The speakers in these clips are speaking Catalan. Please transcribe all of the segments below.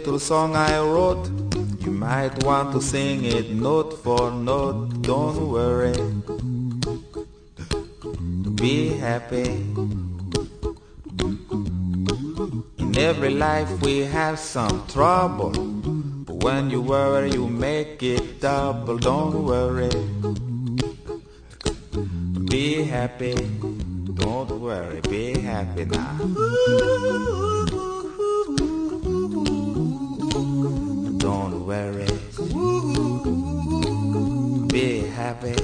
little song I wrote. You might want to sing it note for note. Don't worry, be happy. In every life we have some trouble, but when you worry you make it double. Don't worry, be happy. Don't worry, be happy now. Don't worry, be happy.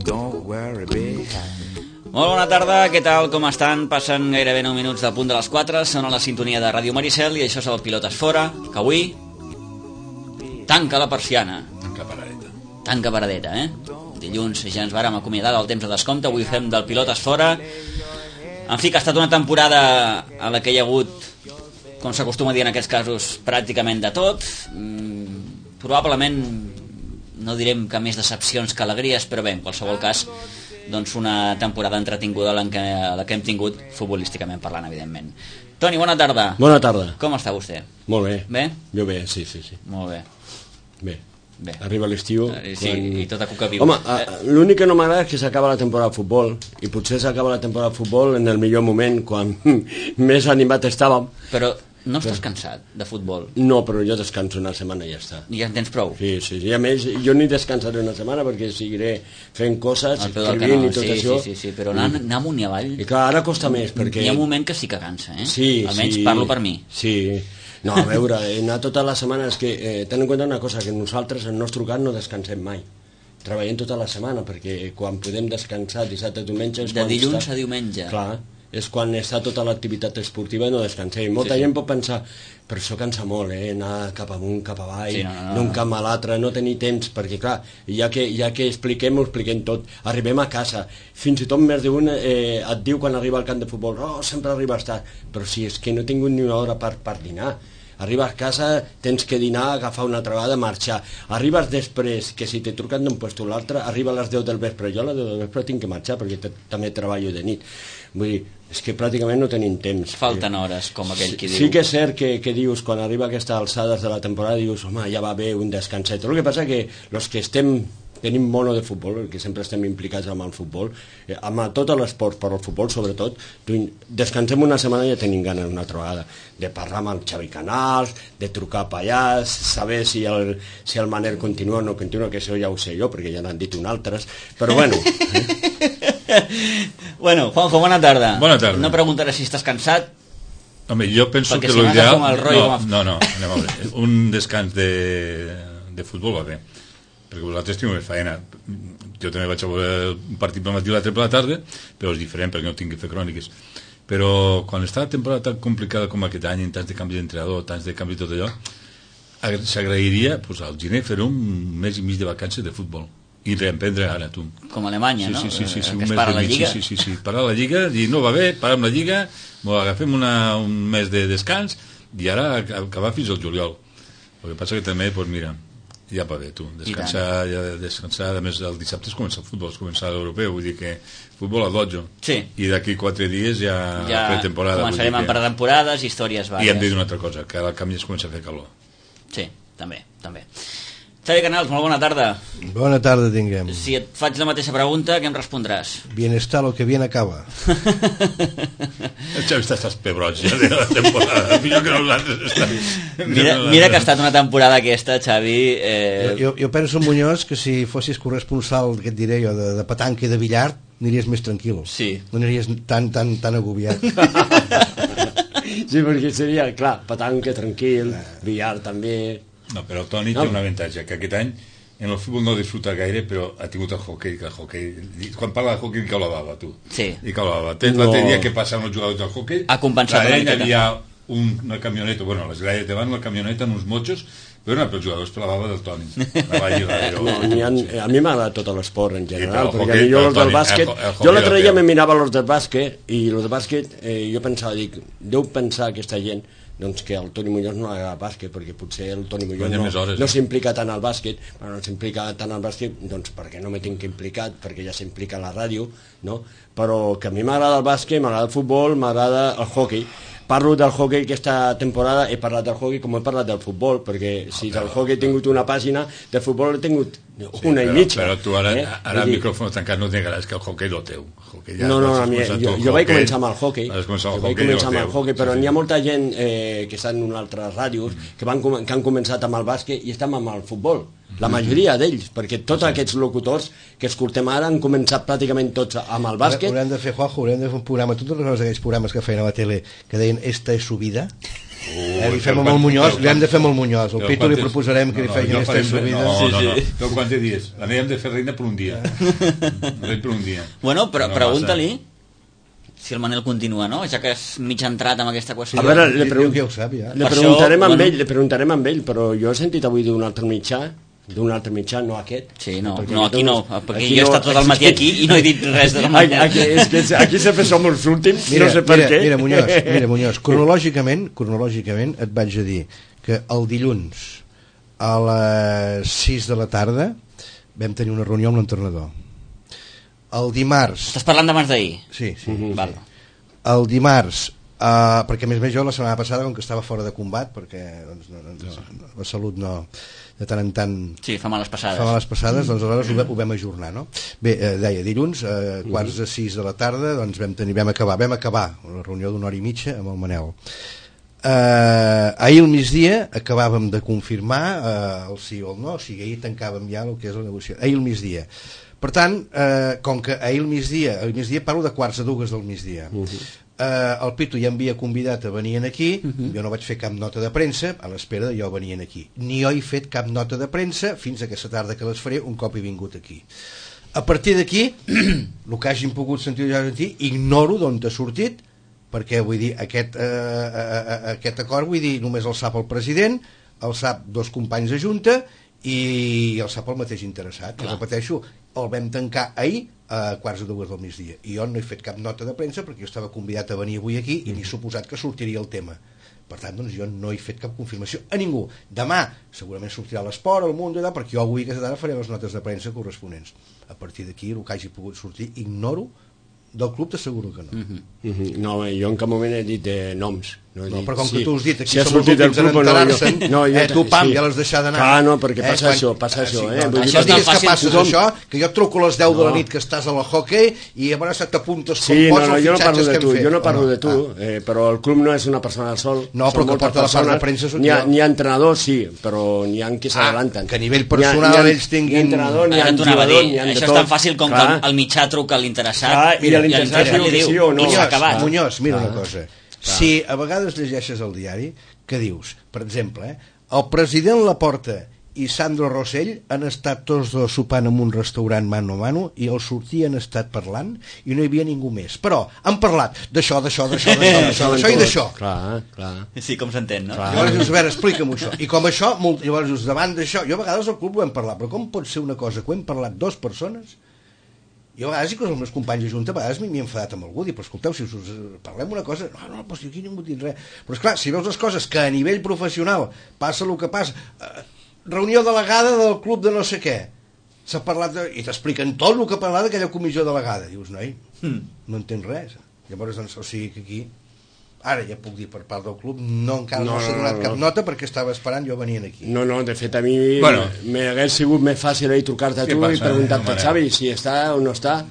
Don't worry, be happy. Molt bona tarda, què tal, com estan? Passen gairebé 9 minuts del punt de les 4, són a la sintonia de Ràdio Maricel i això és el Pilotes Fora, que avui tanca la persiana. Tanca paradeta, Dilluns ja ens vàrem acomiadar del temps de descompte, avui fem del Pilotes Fora. En fi, que ha estat una temporada a la que hi ha hagut, com s'acostuma a dir en aquests casos, pràcticament de tot. Probablement no direm que més decepcions que alegries, però bé, en qualsevol cas, doncs una temporada entretinguda la que hem tingut futbolísticament parlant, evidentment. Toni, bona tarda. Bona tarda. Com està vostè? Molt bé. Bé? Jo bé, sí. Molt bé. Bé. Arriba l'estiu. Sí, i tota cuca viu. Home, l'únic que no m'agrada és que s'acaba la temporada de futbol, i potser s'acaba la temporada de futbol en el millor moment, quan més animat estàvem. Però no estàs cansat de futbol? No, però jo descanso una setmana i ja està. I ja en tens prou? Sí, i a més jo ni descansaré una setmana perquè seguiré fent coses, escrivint i tot això. Sí, però anar amunt i avall... I clar, ara costa més perquè... Hi ha un moment que sí que cansa, Sí. Almenys parlo per mi. Sí. No, a veure, anar tota la setmana és que ten en compte una cosa, que nosaltres en el nostre cas no descansem mai. Treballem tota la setmana, perquè quan podem descansar dissabte i diumenge... De dilluns a diumenge. Clar, és quan està tota l'activitat esportiva i no descansem. Molta gent pot pensar, però això cansa molt, anar cap amunt, cap avall, d'un camp a l'altre, no tenir temps, perquè clar, ja que expliquem, ho expliquem tot. Arribem a casa, fins i tot més d'un et diu quan arriba al camp de futbol, sempre arribes tard, però si és que no he tingut ni una hora per dinar. Arribes a casa, tens que dinar, agafar una altra vegada, marxar. Arribes després, que si t'he trucat d'un puesto a l'altre, arriba a les 10 del vespre. Jo a les 10 del vespre tinc que marxar, perquè també treballo de nit. Vull dir, és que pràcticament no tenim temps. Falten hores, com aquell qui diu. Sí que és cert que dius, quan arriba a aquestes alçades de la temporada, dius, home, ja va bé un descanset. El que passa que els que tenim mono de futbol, que sempre estem implicats amb el futbol, amb tot l'esport, però el futbol sobretot, descansem una setmana i ja tenim ganes una altra vegada de parlar amb el Xavi Canals, de trucar a Pallàs, saber si el Manel continua o no continua, que això ja ho sé jo, perquè ja n'han dit un altres, però bueno. Bueno, Juanjo, bona tarda. Bona tarda. No preguntaré si estàs cansat. Home, jo penso que l'ideal... No, anem a veure. Un descans de futbol va bé, perquè vosaltres teniu més feina. Jo també vaig a veure un partit pel matí i l'altre per la tarda, però és diferent perquè no tinc que fer cròniques. Però quan està la temporada tan complicada com aquest any, en tants de canvis d'entrenador, tants de canvis i tot allò, s'agrairia al gener fer un mes i mig de vacances de futbol i reemprendre ara, tu. Com a Alemanya, no? Sí, que es para la Lliga. Sí, parar la Lliga, i no va bé, parem la Lliga, agafem un mes de descans i ara acabar fins al juliol. El que passa que també, doncs mira, ja va bé, tu, descansar, a més el dissabte es comença el futbol, es comença l'europeu, vull dir que futbol a 12, i d'aquí 4 dies ja pretemporada. Començarem amb pretemporades, històries vàries. I hem de dir una altra cosa, que al camp ja es comença a fer calor. Sí, també. Xavi Canals, molt bona tarda. Bona tarda tinguem. Si et faig la mateixa pregunta, què em respondràs? Bienestar, lo que bien acaba. El Xavi estàs pebrot ja de la temporada. Millor que nosaltres. Mira que ha estat una temporada aquesta, Xavi. Jo penso, Muñoz, que si fossis corresponsal, què et diré jo, de petanca i de billar, aniries més tranquil. Sí. No aniries tan agobiat. Sí, perquè seria, clar, petanca, tranquil, billar també... No, però el Toni té un avantatge, que aquest any en el futbol no disfruta gaire, però ha tingut el hoquei, quan parla de hoquei cau la bava, tu. Sí. I cau la bava. L'altre dia que passaven els jugadors del hoquei, ha compensat una miqueta. Hi havia una camioneta, bueno, les gralles davant, una camioneta amb uns motxos, però no, per els jugadors per la bava del Toni. A mi m'agrada tot l'esport en general, perquè jo els del bàsquet, jo l'altre dia me mirava els del bàsquet, i els del bàsquet jo pensava, deu pensar aquesta gent doncs que el Toni Muñoz no agrada bàsquet, perquè potser el Toni Muñoz no s'implica tant al bàsquet, però no s'implica tant al bàsquet, doncs perquè no m'he tinc implicat, perquè ja s'implica a la ràdio, no? Però que a mi m'agrada el bàsquet, m'agrada el futbol, m'agrada el hoquei. parlo del hockey aquesta temporada, he parlat del hockey com he parlat del futbol, perquè si del hockey he tingut una pàgina, del futbol he tingut una i mitja. Però tu ara el micròfon tancat no et negaràs que el hockey no teu. No, jo vaig començar amb el hockey, però n'hi ha molta gent que està en unes altres ràdios que han començat amb el bàsquet i estan amb el futbol. La majoria d'ells, perquè tots aquests locutors que escoltem ara han començat pràcticament tots amb el bàsquet. Haurem de fer, Juanjo, un programa, totes les aquells programes que feien a la tele que deien "Esta es su vida", li fem amb el Muñoz, li hem de fer amb el Muñoz. El Pitu li proposarem que li feien "Esta es su vida". No. Però quants dies? L'anem de fer reina per un dia. Rei per un dia. Bueno, però pregunta-li si el Manel continua, no? Ja que és mig entrat amb aquesta qüestió. A veure, li preguntarem amb ell, però jo he sentit avui d'un altre mitjà, no aquest. Sí, no, aquí no, perquè jo he estat tot el matí aquí i no he dit res de la Manel. És que aquí sempre som els últims, no sé per què. Mira, Muñoz, cronològicament et vaig a dir que el dilluns a les 6 de la tarda vam tenir una reunió amb l'entrenador. El dimarts... Estàs parlant d'abans d'ahir? Sí. Val. El dimarts, perquè a més jo la setmana passada, com que estava fora de combat, perquè la salut no... de tant en tant... Sí, fa males passades, doncs aleshores ho vam ajornar, no? Bé, deia, dilluns, quarts de 6 de la tarda, doncs vam acabar la reunió d'una hora i mitja amb el Manel. Ahir al migdia acabàvem de confirmar el sí o el no, o sigui, ahir tancàvem ja el que és la negociació. Ahir al migdia. Per tant, com que ahir al migdia parlo de quarts de dues del migdia, el Pitu ja m'havia convidat a venir aquí, jo no vaig fer cap nota de premsa a l'espera de jo venir aquí, ni jo he fet cap nota de premsa fins a aquesta tarda que les faré un cop he vingut aquí. A partir d'aquí, el que hagin pogut sentir ignoro d'on t'ha sortit, perquè vull dir, aquest acord, vull dir, només el sap el president, el sap dos companys de junta i el sap el mateix interessat. I repeteixo, el vam tancar ahir a quarts de dues del migdia i jo no he fet cap nota de premsa perquè jo estava convidat a venir avui aquí i m'he suposat que sortiria el tema. Per tant, doncs, jo no he fet cap confirmació a ningú. Demà segurament sortirà l'Esport, el Mundo, perquè jo avui aquesta tarda faré les notes de premsa corresponents. A partir d'aquí, el que hagi pogut sortir, ignoro. Del club t'asseguro que no. No, jo en cap moment he dit noms. No, però com que tu has dit aquí som els últims en enterar-se'n, tu pam, ja l'has deixat d'anar. Ah, no, perquè passa això. Això és tan fàcil. Això, que jo et truco a les 10 de la nit que estàs a la hockey i a veure si t'apuntes com pots els fitxatges que hem fet. Jo no parlo de tu, però el club no és una persona del sol. No, però que porta la part de premsa sóc jo. N'hi ha entrenadors, sí, però n'hi ha qui s'adelanten. Que a nivell personal ells tinguin... N'hi ha entrenador, n'hi ha jugador, n'hi ha de tot. Això és tan fàcil com que el mitjà truca a l'interessat i l'interessat li diu i s'ha acabat. Muñoz, mira una cosa. Si a vegades llegeixes el diari, què dius? Per exemple, el president Laporta i Sandro Rossell han estat tots dos sopant en un restaurant mano a mano i al sortir han estat parlant i no hi havia ningú més. Però han parlat d'això i d'això. Clar. Sí, com s'entén, no? Llavors, a veure, explica'm això. I com això, llavors, davant d'això, jo a vegades al club ho hem parlat, però com pot ser una cosa que ho hem parlat dues persones? Jo a vegades, inclús els meus companys de junta, a vegades m'he enfadat amb algú, però escolteu, si us parlem una cosa, no, doncs aquí ningú dit res. Però esclar, si veus les coses que a nivell professional passa el que passa, reunió delegada del club de no sé què, s'ha parlat i t'expliquen tot el que ha parlat d'aquella comissió delegada, dius, noi, no entens res. Llavors, doncs, o sigui que aquí, ara ja puc dir per part del club, encara no s'ha donat cap nota perquè estava esperant jo venint aquí. No, de fet a mi m'hagués sigut més fàcil trucar-te a tu i preguntar-te a Xavi si està o no està,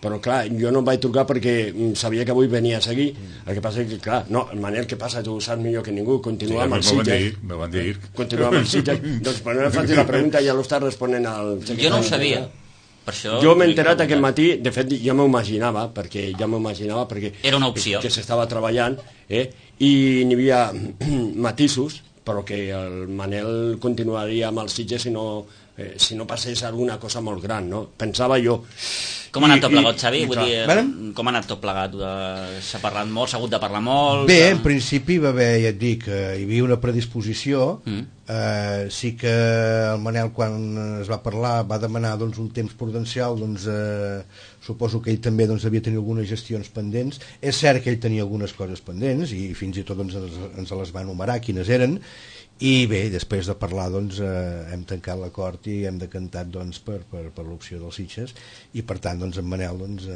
però clar, jo no em vaig trucar perquè sabia que avui venies aquí. El que passa és que, clar, no, el Manel, què passa? Tu ho saps millor que ningú, continua amb el Sitges. Continua amb el Sitges. Doncs per no fer la pregunta ja l'estàs responent al... Jo no ho sabia. Jo m'he enterat aquest matí, de fet ja m'ho imaginava perquè era una opció que s'estava treballant i n'hi havia matisos, però que el Manel continuaria amb els Sitges si no passés alguna cosa molt gran, no? Pensava jo. Com ha anat tot plegat, Xavi? Vull dir, com ha anat tot plegat? S'ha parlat molt, s'ha hagut de parlar molt? Bé, en principi va haver, ja et dic, hi havia una predisposició, Sí que el Manel, quan es va parlar, va demanar doncs, un temps prudencial, doncs, suposo que ell també doncs, havia tenir algunes gestions pendents. És cert que ell tenia algunes coses pendents i fins i tot doncs, ens les va enumerar quines eren, i bé, després de parlar doncs, hem tancat l'acord i hem decantat doncs, per l'opció dels Sitges, i per tant doncs, en Manel doncs,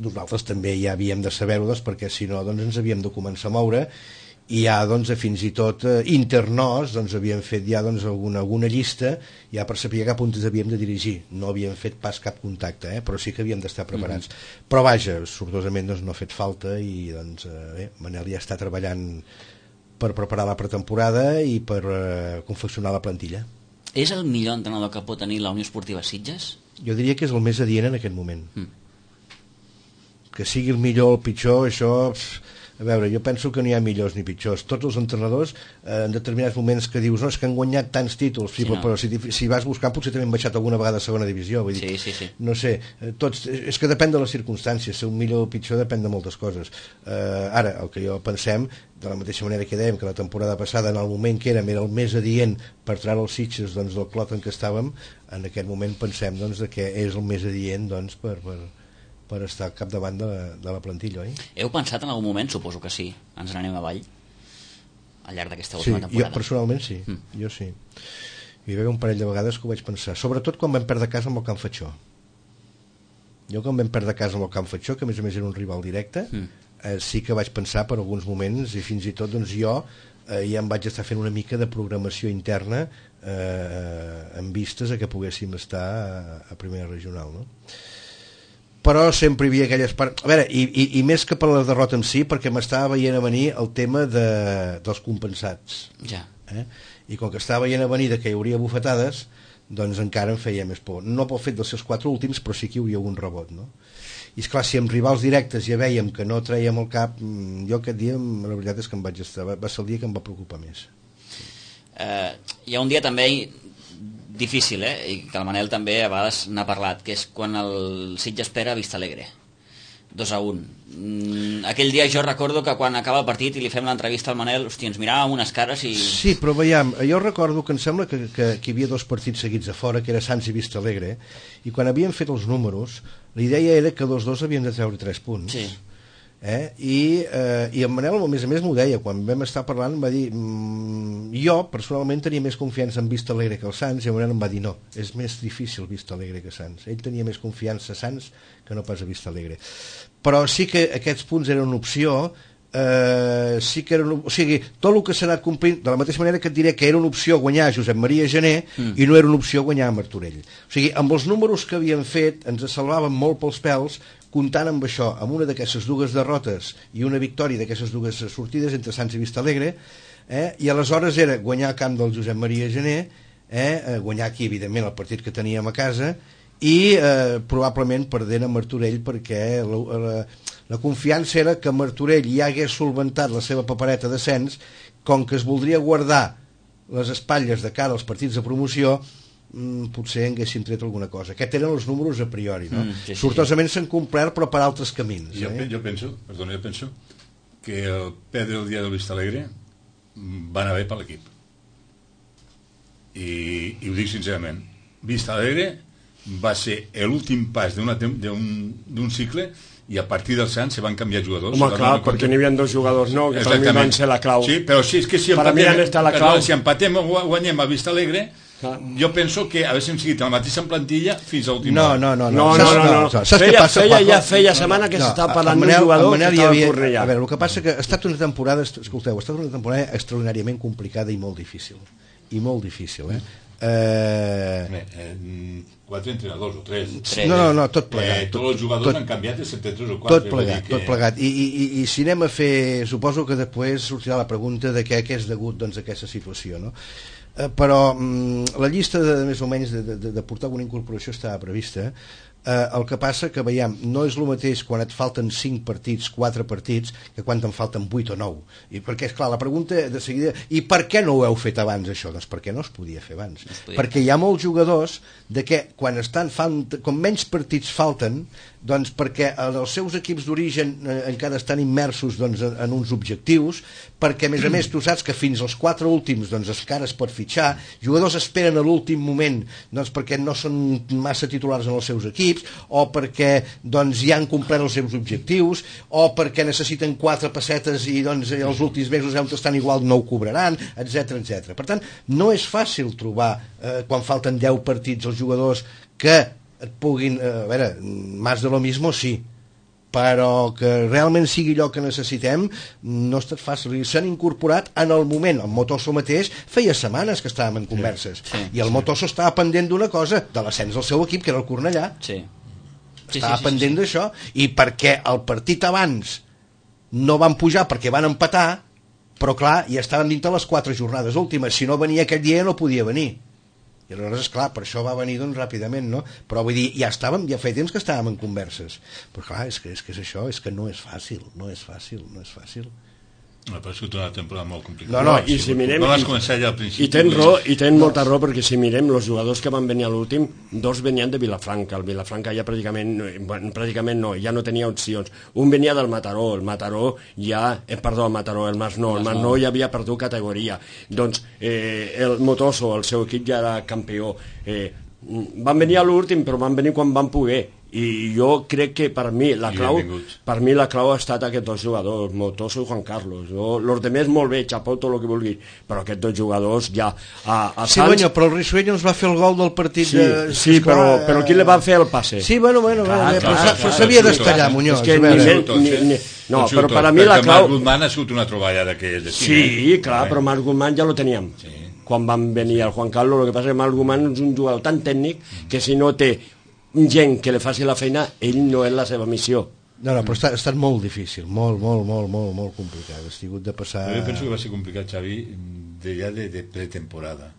nosaltres també ja havíem de saber-ho doncs, perquè si no doncs, ens havíem de començar a moure, i ja doncs, fins i tot internos doncs, havíem fet ja doncs, alguna llista ja per saber cap on ens havíem de dirigir. No havíem fet pas cap contacte, però sí que havíem d'estar preparats. Però vaja, sortosament doncs, no ha fet falta, i doncs, bé, Manel ja està treballant per preparar la pretemporada i per confeccionar la plantilla. És el millor entrenador que pot tenir la Unió Esportiva Sitges? Jo diria que és el més adient en aquest moment. Que sigui el millor o el pitjor, això... A veure, jo penso que no hi ha millors ni pitjors. Tots els entrenadors, en determinats moments que dius, no, és que han guanyat tants títols, sí, però si vas buscar potser també han baixat alguna vegada a segona divisió. Vull dir, sí. No sé, és que depèn de les circumstàncies, ser un millor o pitjor depèn de moltes coses. Ara, el que jo pensem, de la mateixa manera que dèiem que la temporada passada, en el moment que era el més adient per treure els Sitges doncs, del clot en què estàvem, en aquest moment pensem doncs, que és el més adient doncs, per estar al capdavant de la plantilla, oi? Heu pensat en algun moment, suposo que sí, ens n'anem avall al llarg d'aquesta última temporada? Jo personalment sí, jo sí. Hi va haver un parell de vegades que ho vaig pensar, sobretot quan vam perdre casa amb el Can Fatxó. Jo quan vam perdre casa amb el Can Fatxó, que a més era un rival directe, sí que vaig pensar per alguns moments, i fins i tot doncs, jo ja em vaig estar fent una mica de programació interna en vistes a que poguéssim estar a primera regional, no? Però sempre hi havia aquelles parts... A veure, i més que per la derrota en si, perquè m'estava veient a venir el tema dels compensats. Ja. I com que estava veient a venir que hi hauria bufetades, doncs encara em feia més por. No pel fet dels seus 4 últims, però sí que hi hauria algun rebot, no? I esclar, si amb rivals directes ja vèiem que no traiem el cap, jo aquest dia, la veritat és que em vaig estar... Va ser el dia que em va preocupar més. Hi ha un dia també... difícil, i que el Manel també a vegades n'ha parlat, que és quan el Sitges espera a Vista Alegre 2-1. Aquell dia jo recordo que quan acaba el partit i li fem l'entrevista al Manel, hosti, ens miràvem unes cares i... Sí, però veiem, jo recordo que em sembla que hi havia 2 partits seguits a fora, que era Sants i Vista Alegre, i quan havíem fet els números la idea era que els dos havien de treure 3 punts. Sí. I en Manel a més m'ho deia quan vam estar parlant, va dir jo personalment tenia més confiança en Vista Alegre que el Sants, i en Manel em va dir no, és més difícil Vista Alegre que Sants. Ell tenia més confiança a Sants que no pas a Vista Alegre, però sí que aquests punts eren una opció. Sí que eren, o sigui, tot el que s'ha anat complint, de la mateixa manera que et diré que era una opció guanyar Josep Maria Gené i no era una opció guanyar Martorell. O sigui, amb els números que havíem fet ens salvàvem molt pels pèls, comptant amb això, amb una d'aquestes 2 derrotes i una victòria d'aquestes 2 sortides entre Sants i Vista Alegre, i aleshores era guanyar a camp del Josep Maria Gené, guanyar aquí evidentment el partit que teníem a casa, i probablement perdent a Martorell, perquè la confiança era que Martorell ja hagués solventat la seva papereta d'ascens, com que es voldria guardar les espatlles de cara als partits de promoció, potser haguessin tret alguna cosa. Aquests eren els números a priori, no? Sortosament s'han complert, però per altres camins. Jo penso que el perdre el dia del Vista Alegre va anar bé per l'equip, i ho dic sincerament. Vista Alegre va ser l'últim pas d'un cicle, i a partir del Sants se van canviar jugadors. Home, clar, perquè n'hi havia 2 jugadors nous, que per mi van ser la clau. Sí, però sí, és que si empatem o guanyem a Vista Alegre, jo penso que haguéssim seguit la mateixa plantilla fins a l'últim hora. No. Feia setmana que s'estava parlant d'un jugador que estava a Cornellà. A veure, el que passa que ha estat una temporada, escolteu, ha estat una temporada extraordinàriament complicada i molt difícil. Quatre entrenadors o tres. No, tot plegat. Tots els jugadors han canviat de 73 o 4. Tot plegat. I si anem a fer... Suposo que després sortirà la pregunta de què és degut doncs, a aquesta situació, no? Però la llista més o menys de portar alguna incorporació estava prevista. El que passa que, veiem, no és el mateix quan et falten 5 partits, 4 partits, que quan te'n falten 8 o 9. I perquè, esclar, la pregunta de seguida... I per què no ho heu fet abans, això? Doncs perquè no es podia fer abans. Perquè hi ha molts jugadors de que quan com menys partits falten, Doncs perquè els seus equips d'origen encara estan immersos en uns objectius, perquè a més tu saps que fins als 4 últims encara es pot fitxar, jugadors esperen a l'últim moment perquè no són massa titulars en els seus equips, o perquè ja han complert els seus objectius, o perquè necessiten 4 pessetes i els últims mesos on estan igual no ho cobraran, etc. Per tant, no és fàcil trobar quan falten 10 partits els jugadors que et puguin, a veure, más de lo mismo sí, però que realment sigui allò que necessitem no ha estat fàcil, i s'han incorporat en el moment. El Motoso mateix feia setmanes que estàvem en converses, i el Motoso estava pendent d'una cosa, de l'ascens del seu equip, que era el Cornellà. Estava pendent d'això, i perquè el partit abans no van pujar perquè van empatar, però clar, ja estaven dintre les 4 jornades últimes, si no venia aquell dia no podia venir. I aleshores, esclar, per això va venir ràpidament, no? Però vull dir, ja feia temps que estàvem en converses. Però clar, és que és això, és que no és fàcil. M'ha paregut una temporada molt complicada. No, i si mirem... No vas començar ja al principi. I tens molta raó, perquè si mirem els jugadors que van venir a l'últim, 2 venien de Vilafranca. El Vilafranca ja pràcticament no, ja no tenia opcions. Un venia del Mataró, el Masnou ja havia perdut categoria. Doncs el Motoso, el seu equip ja era campió. Van venir a l'últim, però van venir quan van poder. I jo crec que per mi la clau ha estat aquests 2 jugadors, Motoso i Juan Carlos. Los demés molt bé, xapó, tot el que vulguis, però aquests 2 jugadors ja a sí, Sants... però el Risueño ens va fer el gol del partit però qui li va fer el passe? Sí, però s'havia d'estallar, Muñoz. No, però per a mi la clau... Marc Guzmán ha sigut una troballada que és de cine. Sí, clar, però Marc Guzmán ja lo teníem quan van venir el Juan Carlos. El que passa és que Marc Guzmán és un jugador tan tècnic que si no té gent que li faci la feina, ell no és la seva missió. No, però ha estat molt difícil, molt complicat. Has tingut de passar... Jo penso que va ser complicat, Xavi, ja de pretemporada.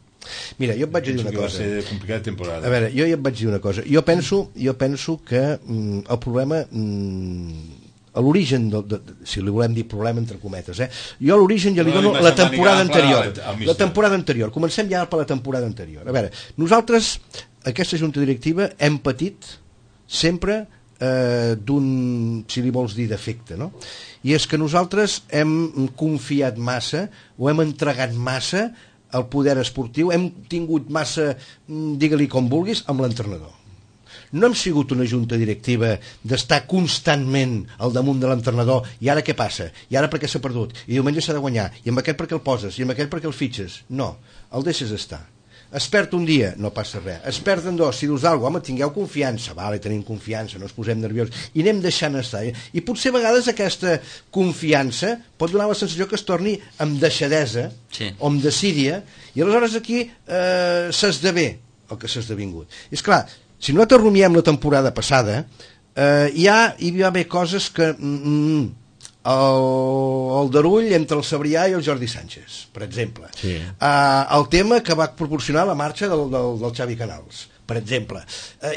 Mira, jo et vaig dir una cosa. Va ser complicat de temporada. A veure, jo ja et vaig dir una cosa. Jo penso que el problema... a l'origen, si li volem dir problema entre cometes, jo a l'origen ja li dono la temporada anterior. La temporada anterior. Comencem ja per la temporada anterior. A veure, nosaltres, aquesta junta directiva, hem patit sempre d'un, si li vols dir, defecte, no? I és que nosaltres hem confiat massa, o hem entregat massa al poder esportiu, hem tingut massa, digue-li com vulguis, amb l'entrenador. No hem sigut una junta directiva d'estar constantment al damunt de l'entrenador, i ara què passa? I ara per què s'ha perdut? I diumenge s'ha de guanyar, i amb aquest per què el poses, i amb aquest per què el fitxes? No, el deixes estar. Es perd un dia, no passa res. Es perden 2, si dius alguna cosa, home, tingueu confiança. Vale, tenim confiança, no ens posem nerviosos. I anem deixant estar. I potser a vegades aquesta confiança pot donar la sensació que es torni amb deixadesa, o amb desídia, i aleshores aquí s'esdevé el que s'ha esdevingut. I és clar, si nosaltres rumiem la temporada passada, hi va haver coses que... el Darull entre el Sabrià i el Jordi Sánchez, per exemple. El tema que va proporcionar la marxa del Xavi Canals, per exemple.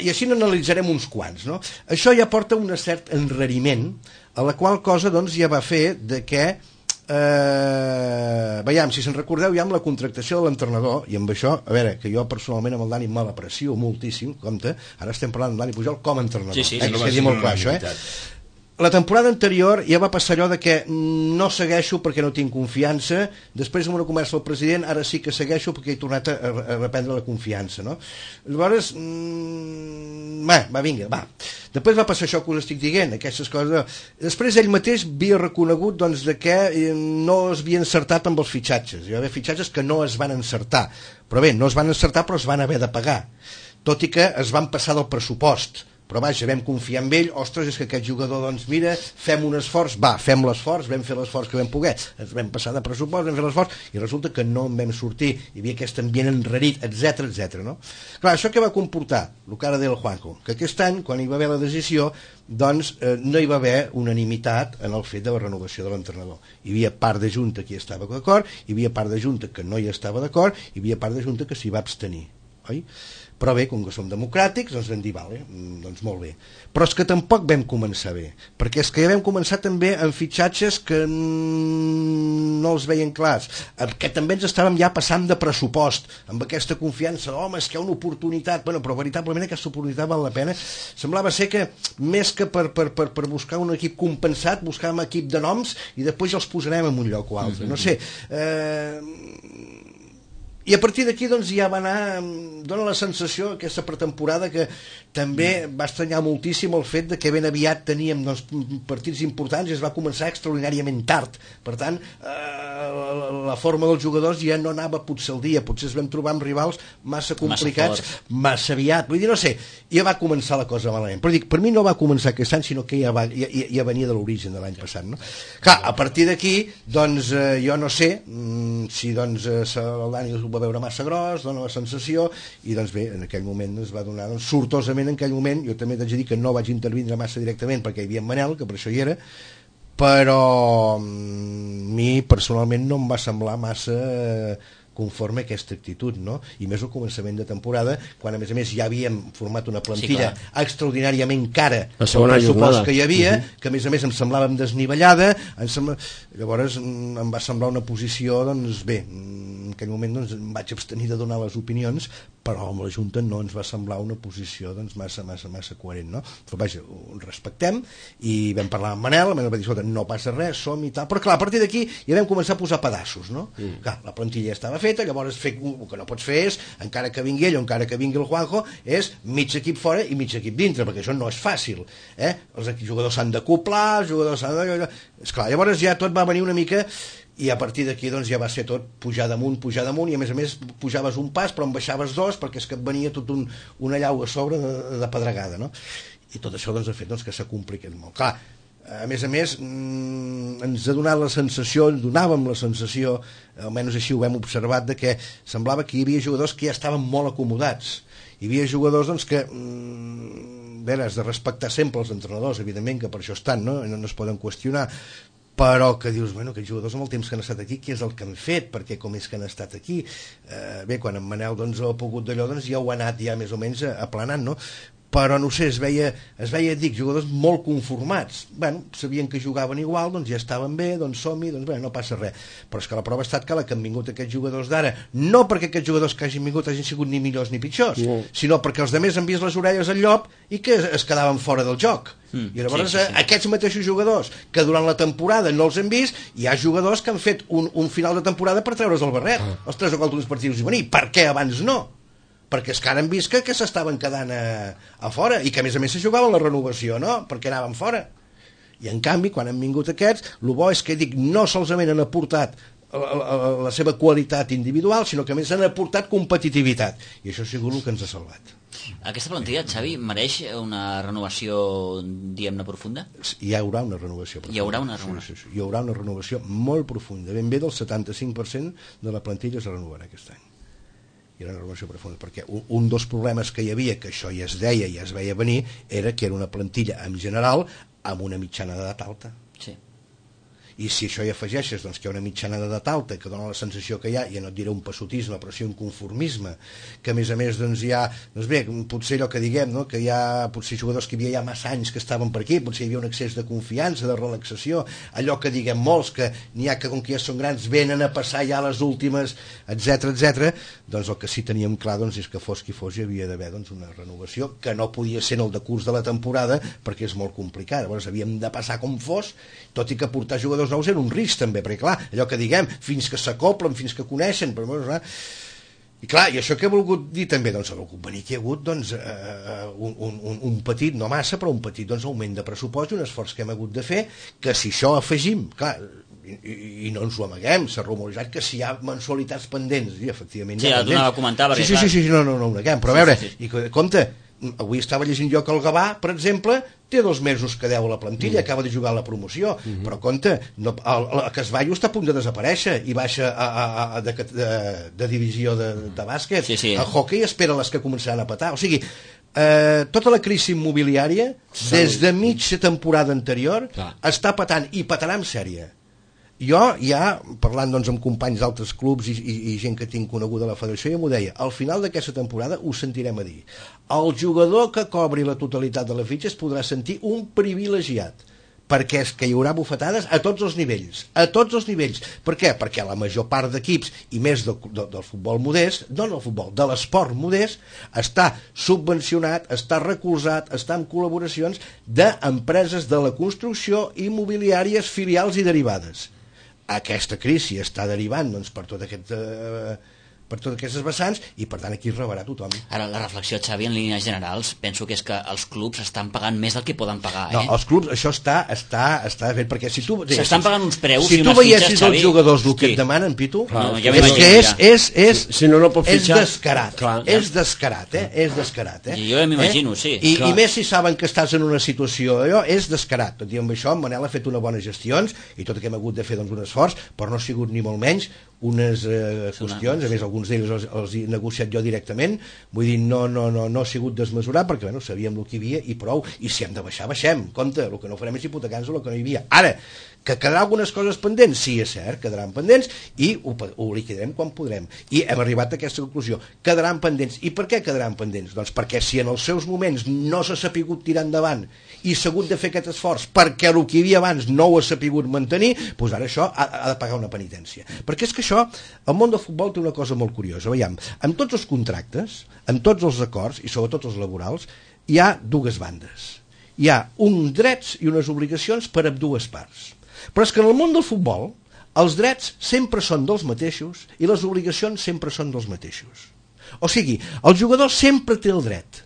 I així n'analitzarem uns quants, no? Això ja porta un cert enrariment, a la qual cosa doncs ja va fer de que veiem, si se'n recordeu ja amb la contractació de l'entrenador, i amb això, a veure, que jo personalment amb el Dani me l'aprecio moltíssim, compte, ara estem parlant amb Dani Pujol com a entrenador, que quedi molt clar això, La temporada anterior ja va passar allò de que no segueixo perquè no tinc confiança, després amb una conversa del president, ara sí que segueixo perquè he tornat a reprendre la confiança, no? Llavors, va. Després va passar això que us estic dient, aquestes coses. Després ell mateix havia reconegut doncs, de que no es havia encertat amb els fitxatges. Hi va haver fitxatges que no es van encertar. Però bé, no es van encertar però es van haver de pagar. Tot i que es van passar del pressupost. Però vaja, vam confiar en ell, ostres, és que aquest jugador, doncs mira, fem un esforç, fem l'esforç, vam fer l'esforç que vam poder, ens vam passar de pressupost, vam fer l'esforç, i resulta que no en vam sortir, hi havia aquest ambient enrarit, etc. No? Clar, això què va comportar? El que ara deia el Juanjo, que aquest any, quan hi va haver la decisió, doncs no hi va haver unanimitat en el fet de la renovació de l'entrenador. Hi havia part de junta que hi estava d'acord, hi havia part de junta que no hi estava d'acord, hi havia part de junta que s'hi va abstenir. oi? Però bé, com que som democràtics, doncs vam dir, vale, doncs molt bé. Però és que tampoc vam començar bé, perquè és que ja vam començar també amb fitxatges que no els veien clars, que també ens estàvem ja passant de pressupost, amb aquesta confiança, home, és que hi ha una oportunitat, bueno, però veritablement aquesta oportunitat val la pena. Semblava ser que, més que per buscar un equip compensat, buscàvem equip de noms i després ja els posarem en un lloc o altre, no sé... I a partir d'aquí doncs ja va anar, dona la sensació aquesta pretemporada que també va estranyar moltíssim el fet de que ben aviat teníem doncs, partits importants i es va començar extraordinàriament tard, per tant la forma dels jugadors ja no anava potser al dia, potser es vam trobar amb rivals massa complicats, massa aviat, vull dir, no sé, ja va començar la cosa malament, però dic, per mi no va començar aquest any sinó que ja venia de l'origen de l'any passat, no? Clar, a partir d'aquí doncs jo no sé si doncs el Dani va veure massa gros, dona la sensació, i doncs bé, en aquell moment es va donar, doncs, sortosament en aquell moment, jo també t'haig de dir que no vaig intervindre massa directament perquè hi havia en Manel, que per això hi era, però a mi personalment no em va semblar massa conforme a aquesta actitud, no? I més al començament de temporada, quan a més ja havíem format una plantilla extraordinàriament cara pel pressupost que hi havia, que a més em semblava desnivellada, llavors em va semblar una posició, doncs bé, en aquell moment doncs, em vaig abstenir de donar les opinions, però amb la Junta no ens va semblar una posició doncs, massa coherent, no? Però vaja, ho respectem, i vam parlar amb Manel, el Manel va dir, escolta, no passa res, som i tal, però clar, a partir d'aquí ja vam començar a posar pedaços, no? Clar, la plantilla ja estava feta, llavors el que no pots fer és, encara que vingui ell o encara que vingui el Juanjo, és mig equip fora i mig equip dintre, perquè això no és fàcil, els jugadors s'han d'acoplar, els jugadors s'han de... Esclar, llavors ja tot va venir una mica, i a partir d'aquí doncs ja va ser tot pujar damunt, i a més pujaves un pas però en baixaves dos, perquè és que et venia tot una llau a sobre de pedregada, no? I tot això doncs ha fet doncs, que s'ha complicat molt. Clar, a més ens ha donat la sensació, donàvem la sensació, almenys així ho hem observat, de que semblava que hi havia jugadors que ja estaven molt acomodats. Hi havia jugadors doncs, que has de respectar sempre els entrenadors, evidentment que per això estan, no es poden qüestionar, però que dius, bueno, aquests jugadors amb el temps que han estat aquí, què és el que han fet, perquè com és que han estat aquí? Bé, quan en Manel doncs, ha pogut d'allò, doncs ja ho ha anat ja més o menys aplanant, no? Però no sé, es veia, dic, jugadors molt conformats. Bueno, sabien que jugaven igual, doncs ja estaven bé, doncs som-hi, doncs bé, no passa res. Però és que la prova ha estat que han vingut aquests jugadors d'ara, no perquè aquests jugadors que hagin vingut hagin sigut ni millors ni pitjors, sinó perquè els altres han vist les orelles al llop i que es quedaven fora del joc. I llavors aquests mateixos jugadors que durant la temporada no els hem vist, hi ha jugadors que han fet un final de temporada per treure's el barret, els 3 o 4 últims partits i venir. Per què abans no? Perquè és que ara han vist que s'estaven quedant a fora i que a més se jugaven la renovació, no? Perquè anaven fora. I en canvi, quan han vingut aquests, el bo és que dic, no solament han aportat la seva qualitat individual, sinó que a més han aportat competitivitat. I això ha sigut el que ens ha salvat. Aquesta plantilla, Xavi, mereix una renovació, diguem-ne, profunda? Hi haurà una renovació profunda. Hi haurà una renovació. Sí. Hi haurà una renovació molt profunda. Ben bé del 75% de la plantilla es renovarà aquest any. Hi haurà una renovació profunda, perquè un dels problemes que hi havia, que això ja es deia i ja es veia venir, era que era una plantilla en general amb una mitjana d'edat alta. Sí. I si això hi afegeixes doncs, que hi ha una mitjana d'edat alta que dona la sensació que hi ha, ja no et diré un passotisme però sí un conformisme, que a més doncs hi ha, doncs bé, potser allò que diguem, no? Que hi ha potser jugadors que hi havia ja massa anys que estaven per aquí, potser hi havia un excés de confiança, de relaxació, allò que diguem molts, que n'hi ha que com que ja són grans venen a passar ja les últimes, etc. Doncs el que sí teníem clar doncs, és que fos qui fos hi havia d'haver doncs, una renovació que no podia ser en el decurs de la temporada perquè és molt complicat, llavors havíem de passar com fos, tot i que portar jugadors nous era un risc també, perquè clar, allò que diguem fins que s'acoplen, fins que coneixen però, i clar, i això que he volgut dir també, doncs ha volgut venir que hi ha hagut doncs, un petit, no massa però un petit doncs, augment de pressupost i un esforç que hem hagut de fer, que si això afegim, clar, i no ens ho amaguem, s'ha rumorejat que si hi ha mensualitats pendents, i efectivament sí, ja t'ho anava a comentar perquè, sí, no ho neguem, però a veure, i compte, avui estava llegint jo que el Gavà, per exemple, té 2 mesos que deu a la plantilla, acaba de jugar a la promoció, però compte, el Casballo està a punt de desaparèixer i baixa de divisió de bàsquet. El hockey espera les que començaran a petar. O sigui, tota la crisi immobiliària, des de mitja temporada anterior, està patant, i petarà en sèrie. Jo ja, parlant doncs, amb companys d'altres clubs i gent que tinc coneguda a la federació, ja m'ho deia, al final d'aquesta temporada ho sentirem a dir. El jugador que cobri la totalitat de les fitxes podrà sentir un privilegiat, perquè és que hi haurà bufetades a tots els nivells. A tots els nivells. Per què? Perquè la major part d'equips, i més del futbol modest, no del futbol, de l'esport modest, està subvencionat, està recolzat, està en col·laboracions d'empreses de la construcció, immobiliàries, filials i derivades. Aquesta crisi està derivant doncs, per tot aquest... per totes aquestes vessants, i per tant aquí es rebarà tothom. Ara, la reflexió, Xavi, en línies generals, penso que és que els clubs estan pagant més del que poden pagar, No, els clubs, això està fet, perquè si tu... S'estan pagant uns preus i unes fitxes, Xavi... Si tu veiessis els jugadors el que et demanen, Pitu, és descarat. És descarat, És descarat, Jo ja m'imagino, sí. I més si saben que estàs en una situació, és descarat. Tot i amb això, en Manel ha fet unes bones gestions, i tot que hem hagut de fer un esforç, però no ha sigut ni molt menys unes qüestions, a més alguns d'ells els he negociat jo directament, vull dir, no ha sigut desmesurat, perquè bueno, sabíem el que hi havia i prou, i si hem de baixar, baixem, compte, el que no farem és hipotecar-nos el que no hi havia. Ara, que quedarà algunes coses pendents? Sí, és cert, quedaran pendents i ho liquidarem quan podrem. I hem arribat a aquesta conclusió. Quedaran pendents. I per què quedaran pendents? Doncs perquè si en els seus moments no s'ha sapigut tirar endavant i s'ha hagut de fer aquest esforç perquè el que hi havia abans no ho ha sapigut mantenir, doncs ara això ha de pagar una penitència. Perquè és que això, el món del futbol té una cosa molt curiosa. Veiem, amb tots els contractes, amb tots els acords, i sobretot els laborals, hi ha dues bandes. Hi ha uns drets i unes obligacions per a dues parts. Però és que en el món del futbol els drets sempre són dels mateixos i les obligacions sempre són dels mateixos. O sigui, el jugador sempre té el dret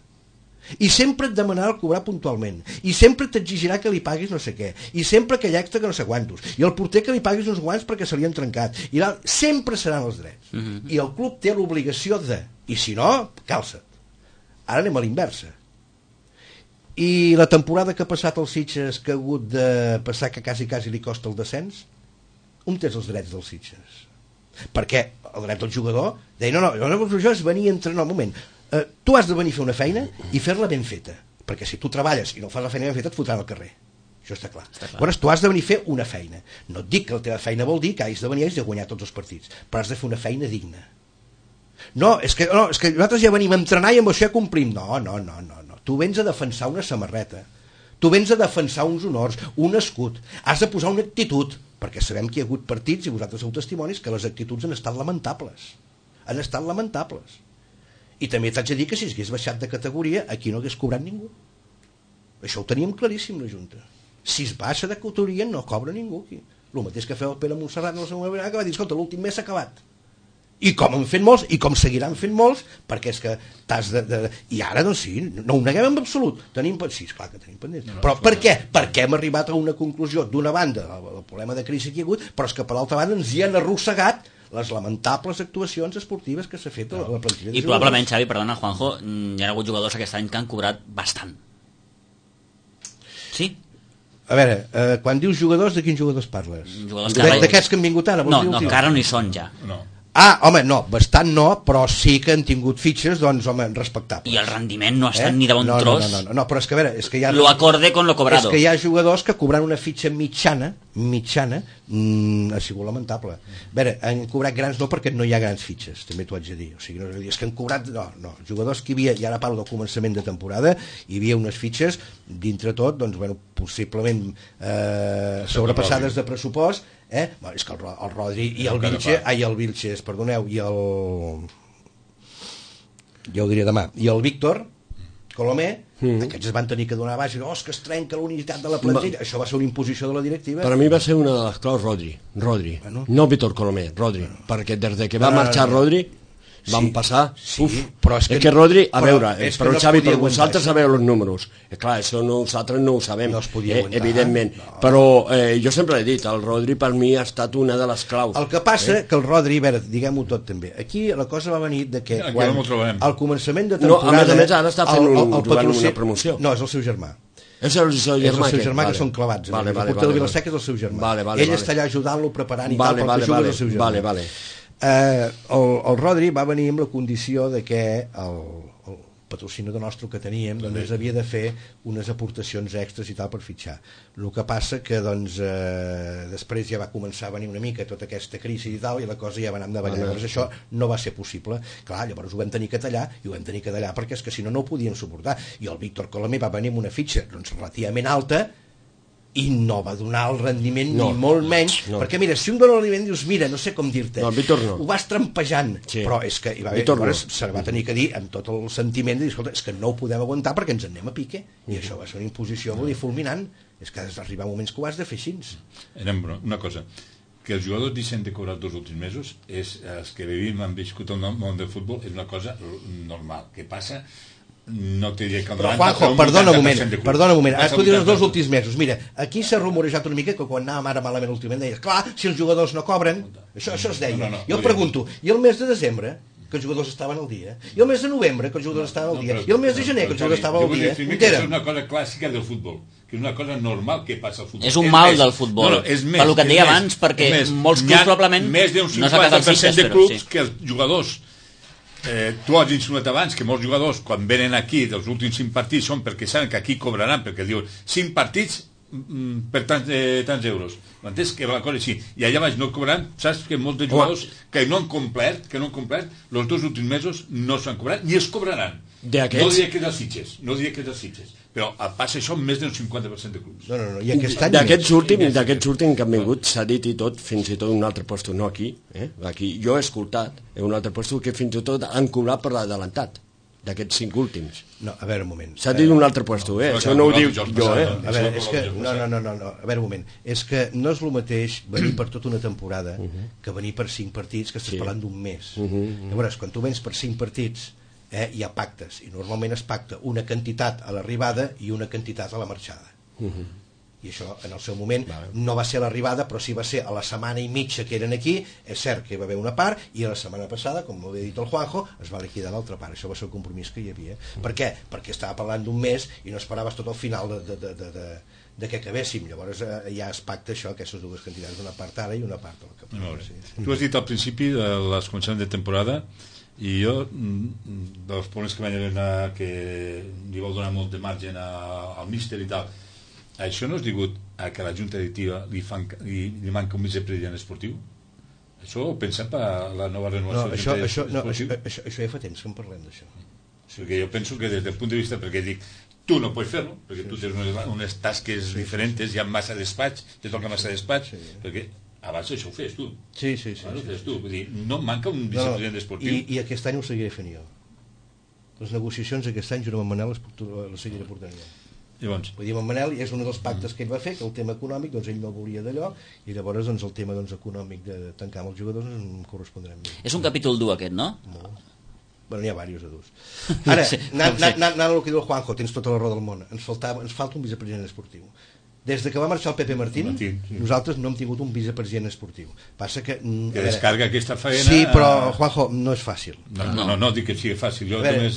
i sempre et demanarà cobrar puntualment i sempre t'exigirà que li paguis no sé què i sempre aquell extra que no sé quantos i el porter que li paguis uns guants perquè se li han trencat i sempre seran els drets i el club té l'obligació de, i si no, calça't. Ara anem a l'inversa. I la temporada que ha passat els Sitges, que ha hagut de passar que quasi li costa el descens, on tens els drets dels Sitges? Perquè el dret del jugador deia, no, això és venir a entrenar. Un moment, tu has de venir a fer una feina i fer-la ben feta, perquè si tu treballes i no fas la feina ben feta et fotran al carrer. Això està clar. Llavors tu has de venir a fer una feina. No et dic que la teva feina vol dir que has de venir i de guanyar tots els partits, però has de fer una feina digna. No, és que nosaltres ja venim a entrenar i amb això ja complim. No. Tu vens a defensar una samarreta, tu vens a defensar uns honors, un escut, has de posar una actitud, perquè sabem que hi ha hagut partits, i vosaltres sou testimonis, que les actituds han estat lamentables. I també t'haig de dir que si hagués baixat de categoria, aquí no hagués cobrat ningú. Això ho teníem claríssim, la Junta. Si es baixa de categoria, no cobra ningú aquí. El mateix que feu el Pere Montserrat en la segona vegada, que va dir, escolta, l'últim mes s'ha acabat. I com han fet molts, i com seguiran fent molts, perquè és que t'has de... I ara, doncs sí, no ho neguem en absolut. Sí, esclar que tenim pendents. Però per què? Perquè hem arribat a una conclusió d'una banda, el problema de crisi que hi ha hagut, però és que per l'altra banda ens hi han arrossegat les lamentables actuacions esportives que s'ha fet a la plantilla. I probablement, Xavi, perdona, Juanjo, hi ha hagut jugadors aquest any que han cobrat bastant. Sí? A veure, quan dius jugadors, de quins jugadors parles? D'aquests que han vingut ara? No, que ara no hi són ja. No. Home, no, bastant no, però sí que han tingut fitxes, doncs, home, respectables. I el rendiment no ha estat ni de bon tros. No, però és que, a veure, és que hi ha... Lo acorde con lo cobrado. És que hi ha jugadors que cobrant una fitxa mitjana, ha sigut lamentable. A veure, han cobrat grans no perquè no hi ha grans fitxes, també t'ho haig de dir. O sigui, no, és que han cobrat... No, jugadors que hi havia, i ara parlo del començament de temporada, hi havia unes fitxes, dintre tot, doncs, bueno, possiblement sobrepassades de pressupost, és que el Rodri i el Vilches, perdoneu, i el... ja ho diré demà, i el Víctor Colomer, aquests es van tenir que donar baix i és que es trenca la unitat de la plantilla. Això va ser una imposició de la directiva. Per a mi va ser una de les claus Rodri. No Víctor Colomer, Rodri, perquè des que va marxar Rodri van passar... Però és que Rodri, a veure, però Xavi, per vosaltres sabeu els números. Clar, això nosaltres no ho sabem, evidentment. Però jo sempre he dit, el Rodri per mi ha estat una de les claus. El que passa que el Rodri, a veure, diguem-ho tot també, aquí la cosa va venir de que quan al començament de temporada... A més, ara està fent una promoció. No, és el seu germà. És el seu germà que són clavats. El porter del Vilaseca és el seu germà. Ell està allà ajudant-lo, preparant i tal, perquè juga el seu germà. El Rodri va venir amb la condició de que patrocinador nostre que teníem, doncs ens havia de fer unes aportacions extres i tal per fitxar. El que passa que doncs després ja va començar a venir una mica tota aquesta crisi i tal, i la cosa ja va anar endavant. Llavors això no va ser possible. Clar, llavors ho vam tenir que tallar, i ho vam tenir que tallar perquè és que si no, no ho podíem suportar. I el Víctor Colomer va venir amb una fitxa doncs relativament alta, i no va donar el rendiment ni molt menys, perquè mira, si un dona el rendiment dius, mira, no sé com dir-te, ho vas trampejant, però és que se va tenir que dir amb tot el sentiment de dir, escolta, és que no ho podem aguantar perquè ens en anem a pique, i això va ser una imposició fulminant, és que has d'arribar moments que ho has de fer així. Una cosa, que els jugadors deixen de cobrar els 2 últims mesos, els que vivim, han viscut el món del futbol, és una cosa normal, que passa. No te diré que però Juanjo, perdona un moment, ara tu dius els 2 últims mesos, mira, aquí s'ha rumorejat una mica que quan anàvem ara malament últimament deies, clar, si els jugadors no cobren, això es deia, jo pregunto, i el mes de desembre que els jugadors estaven al dia, i el mes de novembre que els jugadors estaven al dia, i el mes de gener que els jugadors estaven al dia, és una cosa clàssica del futbol, que és una cosa normal que passa al futbol. És un mal del futbol, per el que et deia abans, perquè molts clubs probablement més d'un 50% de clubs que els jugadors tu has insinuat abans que molts jugadors quan venen aquí dels últims 5 partits són perquè saben que aquí cobraran, perquè diuen 5 partits per tants euros, m'entens? Que la cosa així, i allà baix no cobraran, saps que molts de jugadors que no han complert els 2 últims mesos no s'han cobrat ni es cobraran. No diria que dels Sitges, però passa això amb més d'un 50% de clubs. D'aquests últims que han vingut s'ha dit i tot, fins i tot un altre lloc, no aquí, aquí jo he escoltat un altre lloc que fins i tot han cobrat per l'adelantat d'aquests 5 últims. No, a veure un moment. S'ha dit un altre lloc, això no ho diu jo, A veure, és que, no, a veure un moment, és que no és el mateix venir per tota una temporada que venir per 5 partits, que estàs parlant d'un mes. Llavors, quan tu vens per 5 partits, hi ha pactes, i normalment es pacta una quantitat a l'arribada i una quantitat a la marxada. I això en el seu moment no va ser a l'arribada, però sí va ser a la setmana i mitja que eren aquí. És cert que hi va haver una part, i a la setmana passada, com ho havia dit el Juanjo, es va liquidar l'altra part. Això va ser el compromís que hi havia. Per què? Perquè estava parlant d'un mes i no esperaves tot al final de que acabéssim. Llavors ja es pacta això, aquestes 2 quantitats, una part ara i una part a la que... Tu has dit al principi de les començaments de temporada, i jo dels problemes que vaig haver que li vol donar molt de marge al míster i tal, això no és degut a que la junta directiva li manca un vicepresident esportiu? Això ho pensem per la nova renovació de la junta això ja fa temps que en parlem d'això. Perquè jo penso que des del punt de vista, perquè dic, tu no pots fer-lo, perquè tu tens unes tasques diferents, hi ha massa despatx, te toca massa despatx, perquè abans això ho fes tu. Sí. Vull dir, no manca un vicepresident esportiu. I aquest any ho seguiré fent jo. Les negociacions aquest any, junt amb Manel, les seguiré portant jo. Llavors, vull dir, amb Manel és un dels pactes que ell va fer, que el tema econòmic, doncs ell no volia d'allò, i llavors doncs, el tema econòmic de tancar amb els jugadors em correspondrà a mi. És un capítol dur aquest, no? Molt. Bueno, n'hi ha diversos de durs. Ara, anant al que diu el Juanjo, tens tota la raó del món, ens falta un vicepresident esportiu. Des de que va marxar el Pepe Martín, nosaltres no hem tingut un vicepresident esportiu. Passa que descarga aquesta feina... Sí, però, Juanjo, no és fàcil. No dic que sigui fàcil.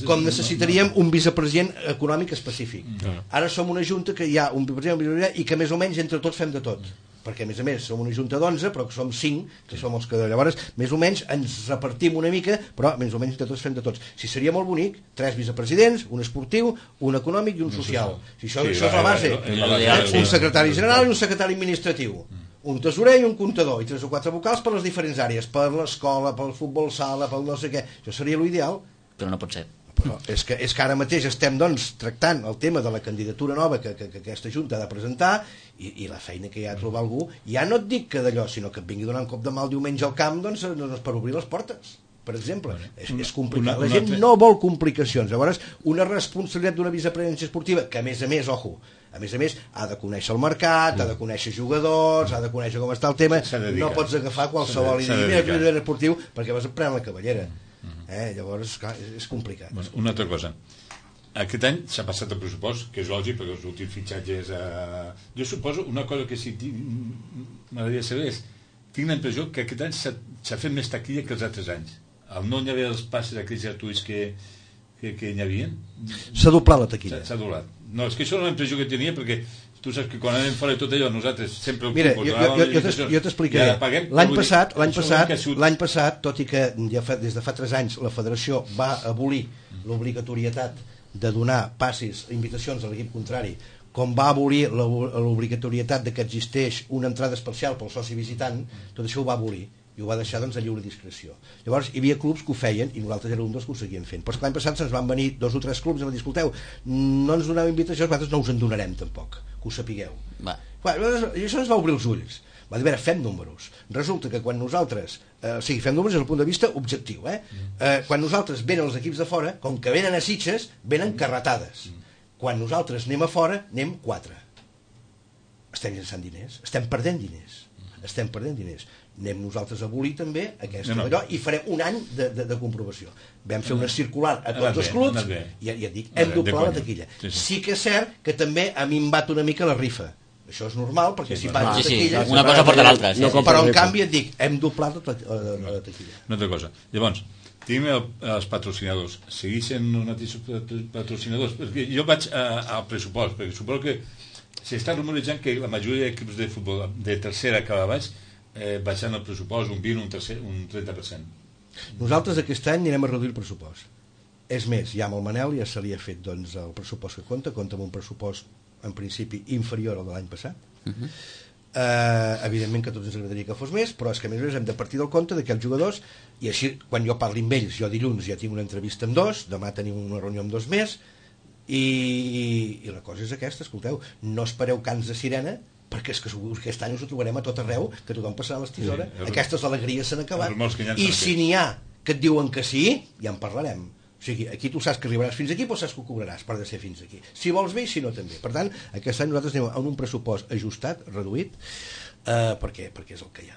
Com necessitaríem un vicepresident econòmic específic. Ara som una junta que hi ha un vicepresident i que més o menys entre tots fem de tot. Perquè, a més, som una junta d'11, però que som 5, que som els que llavors, més o menys, ens repartim una mica, però més o menys entre tots fem de tots. Si seria molt bonic, 3 vicepresidents, un esportiu, un econòmic i un social. Si això és la base, un secretari general i un secretari administratiu, un tesorer i un comptador, i 3 o 4 vocals per les diferents àrees, per l'escola, pel futbol sala, pel no sé què. Això seria l'ideal. Però no pot ser. Però és que ara mateix estem doncs tractant el tema de la candidatura nova que aquesta Junta ha de presentar i la feina que hi ha de trobar algú, ja no et dic que d'allò, sinó que et vingui donant un cop de mal diumenge al camp doncs per obrir les portes, per exemple. És complicat, la gent no vol complicacions. Llavors, una responsabilitat d'una vicepresidència esportiva que a més, ojo, a més ha de conèixer el mercat, ha de conèixer jugadors, ha de conèixer com està el tema, no pots agafar qualsevol i dir, mira, vicepresident esportiu, perquè vas a prendre la cavallera. Llavors, clar, és complicat. Una altra cosa, aquest any s'ha passat el pressupost, que és lògic perquè els últims fitxatges jo suposo una cosa que sí m'agradaria saber és, tinc la impressió que aquest any s'ha fet més taquilla que els altres anys. No hi havia els passes aquells gratuïts que hi havia. S'ha doblat la taquilla. S'ha doblat. No, és que això és una impressió que tenia, perquè tu saps que quan anem fora de tot allò nosaltres sempre... Mira, jo t'explicaré. L'any passat, tot i que des de fa 3 anys la federació va abolir l'obligatorietat de donar passis, invitacions a l'equip contrari, com va abolir l'obligatorietat de que existeix una entrada especial pel soci visitant, tot això ho va abolir i ho va deixar doncs a lliure discreció. Llavors hi havia clubs que ho feien i nosaltres érem un dels que ho seguien fent, però l'any passat se'ns van venir 2 o 3 clubs i van dir, escolteu, no ens doneu invitacions, nosaltres no us en donarem tampoc, que ho sapigueu. I això ens va obrir els ulls. Va dir, a veure, fem números. Resulta que quan nosaltres, fem números des del punt de vista objectiu, quan nosaltres venen els equips de fora, com que venen a Sitges, venen carretades. Quan nosaltres anem a fora, anem 4. Estem llençant diners, estem perdent diners. Anem nosaltres a abolir també aquesta d'allò i farem un any de comprovació. Vam fer una circular a tots els clubs i ja et dic, hem doblat la taquilla. Sí que és cert que també ha minvat una mica la rifa. Això és normal, perquè si pagues taquilla... Una cosa porta l'altra. Però, en canvi, et dic, hem doblat la taquilla. Una altra cosa. Llavors, tenim els patrocinadors. Segueixen els mateixos patrocinadors? Perquè jo vaig al pressupost, perquè suposo que s'està rumorejant que la majoria d'equips de futbol de tercera cap a baix baixant el pressupost un 20, un 30%. Nosaltres aquest any anirem a reduir el pressupost. És més, ja amb el Manel ja se li ha fet doncs, el pressupost que compta amb un pressupost en principi inferior al de l'any passat. Evidentment que a tots ens agradaria que fos més, però és que a més hem de partir del compte que els jugadors, i així quan jo parli amb ells, jo dilluns ja tinc una entrevista amb 2, demà tenim una reunió amb 2 més, i la cosa és aquesta, escolteu, no espereu cants de sirena, perquè és que aquest any us ho trobarem a tot arreu, que tothom passarà les tisores, aquestes alegries s'han acabat, i si n'hi ha que et diuen que sí, ja en parlarem. O sigui, aquí tu saps que arribaràs fins aquí, però saps que ho cobraràs per de ser fins aquí. Si vols bé i si no també. Per tant, aquest any nosaltres anem amb un pressupost ajustat, reduït, perquè és el que hi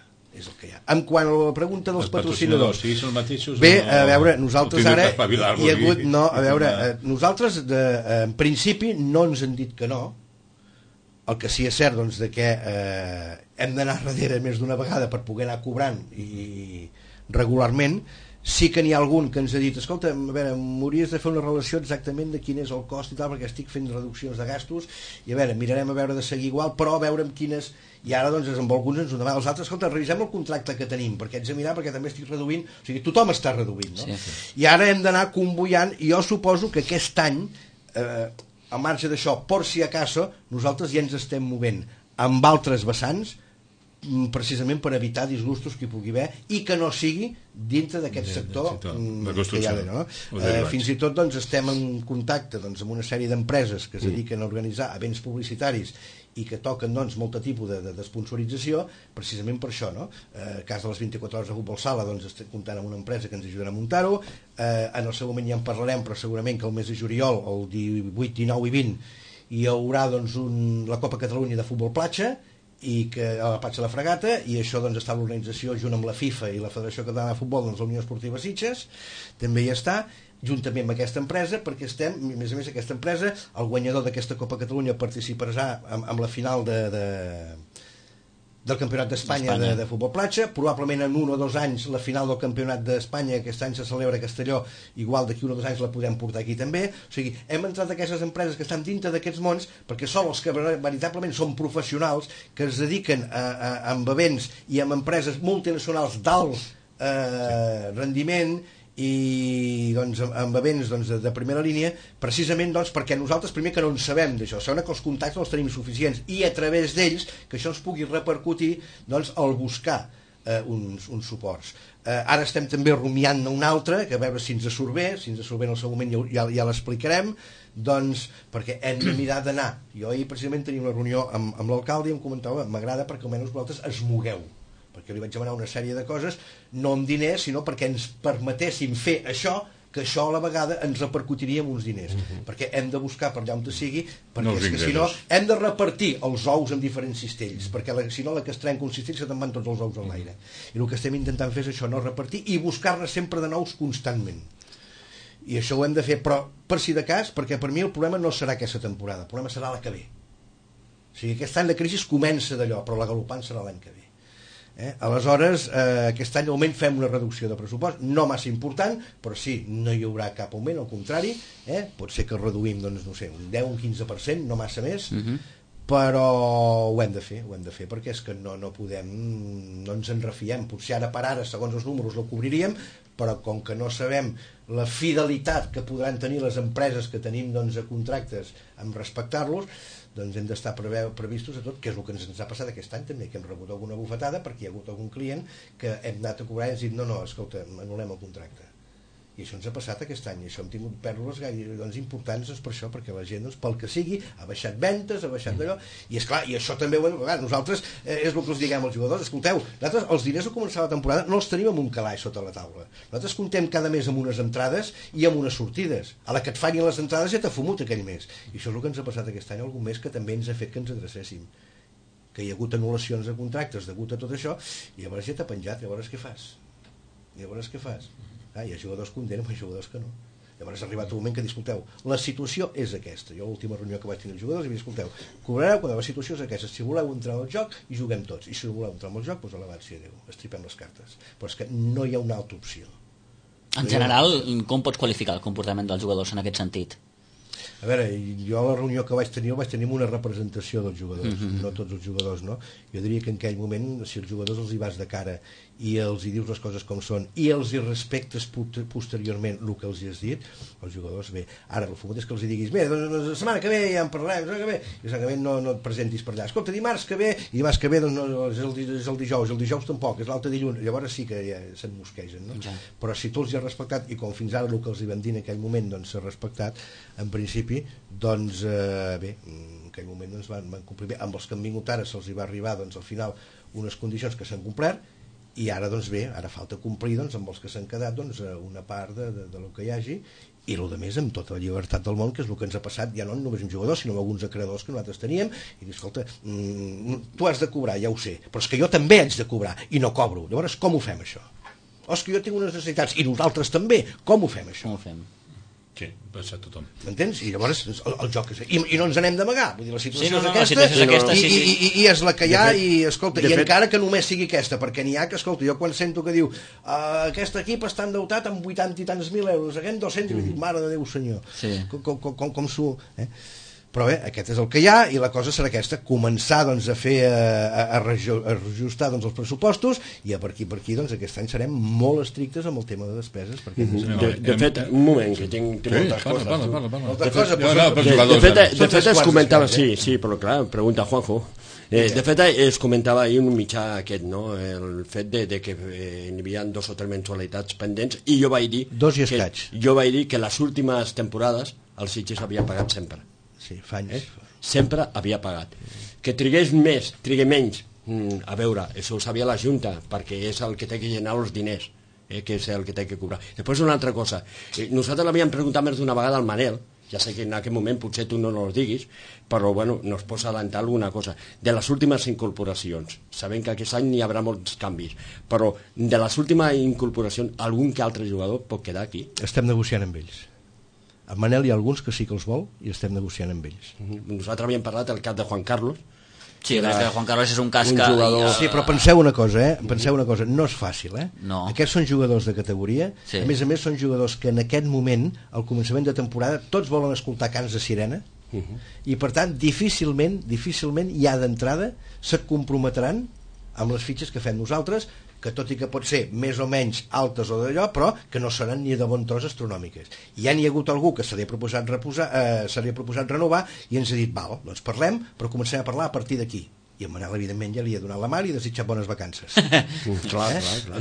ha. En quant a la pregunta dels patrocinadors, sí, són mateixos, bé, a veure, nosaltres ara hi ha hagut, nosaltres en principi no ens han dit que no. El que sí és cert doncs, que hem d'anar darrere més d'una vegada per poder anar cobrant i regularment. Sí que n'hi ha algun que ens ha dit, escolta, a veure, m'hauries de fer una relació exactament de quin és el cost i tal, perquè estic fent reduccions de gastos, i a veure, mirarem a veure de seguir igual, però a veure amb quines... I ara, doncs, amb alguns ens ho demanen. Els altres, escolta, revisem el contracte que tenim, perquè haig de mirar, perquè també estic reduint... O sigui, tothom està reduint, no? Sí. I ara hem d'anar convoiant, i jo suposo que aquest any, al marge d'això, por si acaso, nosaltres ja ens estem movent amb altres vessants, precisament per evitar disgustos que hi pugui haver i que no sigui dintre d'aquest sector que hi ha d'haver, no? Fins i tot doncs, estem en contacte doncs, amb una sèrie d'empreses que es dediquen a organitzar events publicitaris i que toquen doncs, molt tipus d'esponsorització precisament per això, no? Cas de les 24 hores de futbol sala, doncs estem comptant amb una empresa que ens ajudarà a muntar-ho. En el seu moment ja en parlarem, però segurament que el mes de juliol, el 18, 19 i 20 hi haurà doncs, la Copa Catalunya de futbol platja, i que a la Platja de la Fregata, i això doncs, està l'organització junt amb la FIFA i la Federació Catalana de Futbol, doncs, la Unió Esportiva Sitges també hi està, juntament amb aquesta empresa, perquè estem, a més aquesta empresa, el guanyador d'aquesta Copa Catalunya participarà amb la final del Campionat d'Espanya de futbol platja, probablement en 1 o 2 anys la final del Campionat d'Espanya, aquest any se celebra a Castelló, igual d'aquí 1 o 2 anys la podem portar aquí també. O sigui, hem entrat aquestes empreses que estan dintre d'aquests mons, perquè són els que veritablement són professionals, que es dediquen amb events i amb empreses multinacionals d'alt rendiment i doncs, amb events doncs, de primera línia, precisament doncs, perquè nosaltres primer que no en sabem d'això, segona que els contactes els tenim suficients i a través d'ells que això ens pugui repercutir doncs, al buscar uns suports. Ara estem també rumiant un altre, que a veure si ens surt bé, en el seu moment ja l'explicarem, doncs, perquè hem de mirar d'anar. Jo ahir precisament tenia una reunió amb l'alcalde i em comentava, m'agrada perquè almenys vosaltres es mogueu, perquè li vaig demanar una sèrie de coses, no amb diners, sinó perquè ens permetessin fer això, que això a la vegada ens repercutiria en uns diners, perquè hem de buscar per allà on sigui, perquè és que si no hem de repartir els ous en diferents cistells, perquè si no la que es trenca un cistell se te'n van tots els ous a l'aire, i el que estem intentant fer és això, no repartir i buscar-ne sempre de nous constantment, i això ho hem de fer, però per si de cas, perquè per mi el problema no serà aquesta temporada, el problema serà la que ve. O sigui, aquest any de crisi comença d'allò, però la galopant serà l'any que ve. Aleshores, aquest any almenys fem una reducció de pressupost, no massa important, però sí, no hi haurà cap augment, al contrari, pot ser que reduïm doncs, no sé, un 10 o un 15%, no massa més, però ho hem de fer, perquè és que no podem, no ens en refiem, potser ara per ara, segons els números, la cobriríem, però com que no sabem la fidelitat que podran tenir les empreses que tenim doncs, a contractes amb respectar-los, doncs hem d'estar previstos a tot, que és el que ens ha passat aquest any també, que hem rebut alguna bufetada perquè hi ha hagut algun client que hem anat a cobrar i ens dit no, escolta, anul·lem el contracte. I això ens ha passat aquest any, i això hem tingut pèrdues doncs, importants per això, perquè la gent, doncs, pel que sigui, ha baixat ventes, ha baixat d'allò, i esclar, i això també nosaltres, és el que us diguem als jugadors, escolteu, nosaltres els diners al començar la temporada no els tenim en un calaix sota la taula, nosaltres comptem cada mes amb unes entrades i amb unes sortides, a la que et fallen les entrades ja t'ha fumut aquell mes, i això és el que ens ha passat aquest any, algun mes que també ens ha fet que ens adrecéssim, que hi ha hagut anul·lacions de contractes degut a tot això, i llavors ja t'ha penjat, llavors què fas? Hi ha jugadors que condenen, hi ha jugadors que no. Llavors ha arribat un moment que disculteu, la situació és aquesta. Jo l'última reunió que vaig tenir els jugadors i escolteu, cobrareu quan la situació és aquesta, si voleu entrar al joc i juguem tots, i si no voleu entrar al joc, doncs alabat sia Déu, estripem les cartes. Però és que no hi ha una altra opció. En general, com pots qualificar el comportament dels jugadors en aquest sentit? A veure, jo a la reunió que vaig tenir amb una representació dels jugadors, no tots els jugadors, no? Jo diria que en aquell moment, si els jugadors els hi vas de cara i els hi dius les coses com són i els hi respectes posteriorment el que els hi has dit, els jugadors bé. Ara, el fumut és que els hi diguis bé, doncs la setmana que ve ja en parlarem, la setmana que ve, i la setmana que ve no et presentis per allà. Escolta, dimarts que ve, i dimarts que ve doncs no, és el dijous tampoc, és l'altre dilluns, llavors sí que ja se'n mosquegen, no? Ja. Però si tu els hi has respectat, i com fins ara el que els hi vam dir en aquell moment doncs s'ha respectat, en principi, doncs bé, en aquell moment doncs, van complir bé. Amb els que han vingut ara se'ls hi va arribar doncs, al final unes condicions que s'han complert, i ara doncs bé, ara falta complir doncs, amb els que s'han quedat doncs, una part del que hi hagi, i el de més amb tota la llibertat del món, que és el que ens ha passat ja no només amb jugadors sinó amb alguns acreedors que nosaltres teníem, i dir, escolta, tu has de cobrar, ja ho sé, però és que jo també haig de cobrar i no cobro, llavors com ho fem això? O és que jo tinc unes necessitats i nosaltres també, com ho fem això? Com ho fem? Sí, passa a tothom. M'entens? I llavors el joc és... I no ens n'hem d'amagar. Vull dir, la situació és aquesta. I és la que hi ha, i escolta, i encara que només sigui aquesta, perquè n'hi ha que, escolta, jo quan sento que diu aquest equip està endeutat amb 80 i tants mil euros, aquest 200, i dic, mare de Déu senyor, com s'ho... Però bé, aquest és el que hi ha, i la cosa serà aquesta, començar doncs, a fer a reajustar doncs, els pressupostos, i per aquí doncs, aquest any serem molt estrictes amb el tema de despeses, perquè de fet, un moment, que tinc moltes coses. De fet es comentava, sí, però clar, pregunta Juanjo. De fet es comentava ahir un mitjà aquest, no? El fet de que hi havia 2 o 3 mensualitats pendents, i jo vaig dir que les últimes temporades el Sitges havia pagat sempre. Sí, fa anys. Sempre havia pagat. Que trigués més, trigue menys, a veure, això ho sabia la Junta, perquè és el que té que llenar els diners, que és el que té que cobrar. Després una altra cosa, nosaltres l'havíem preguntat més d'una vegada al Manel, ja sé que en aquest moment potser tu no nos diguis, però bueno, nos pots adelantar alguna cosa. De les últimes incorporacions, sabem que aquest any hi haurà molts canvis, però de les últimes incorporacions, algun que altre jugador pot quedar aquí? Estem negociant amb ells. A Manel hi ha alguns que sí que els vol i estem negociant amb ells. Nosaltres havíem parlat del cas de Juan Carlos. Sí, el cas de Juan Carlos és un cas que... Sí, però penseu una cosa, no és fàcil, No. Aquests són jugadors de categoria, a més són jugadors que en aquest moment, al començament de temporada, tots volen escoltar cants de sirena, i per tant, difícilment ja d'entrada se't comprometran amb les fitxes que fem nosaltres, que tot i que pot ser més o menys altes o d'allò, però que no seran ni de bon tros astronòmiques. Ja n'hi ha hagut algú que se li ha proposat renovar i ens ha dit, val, doncs parlem, però comencem a parlar a partir d'aquí. I en Manel, evidentment, ja li ha donat la mà i li ha desitjat bones vacances. Clar.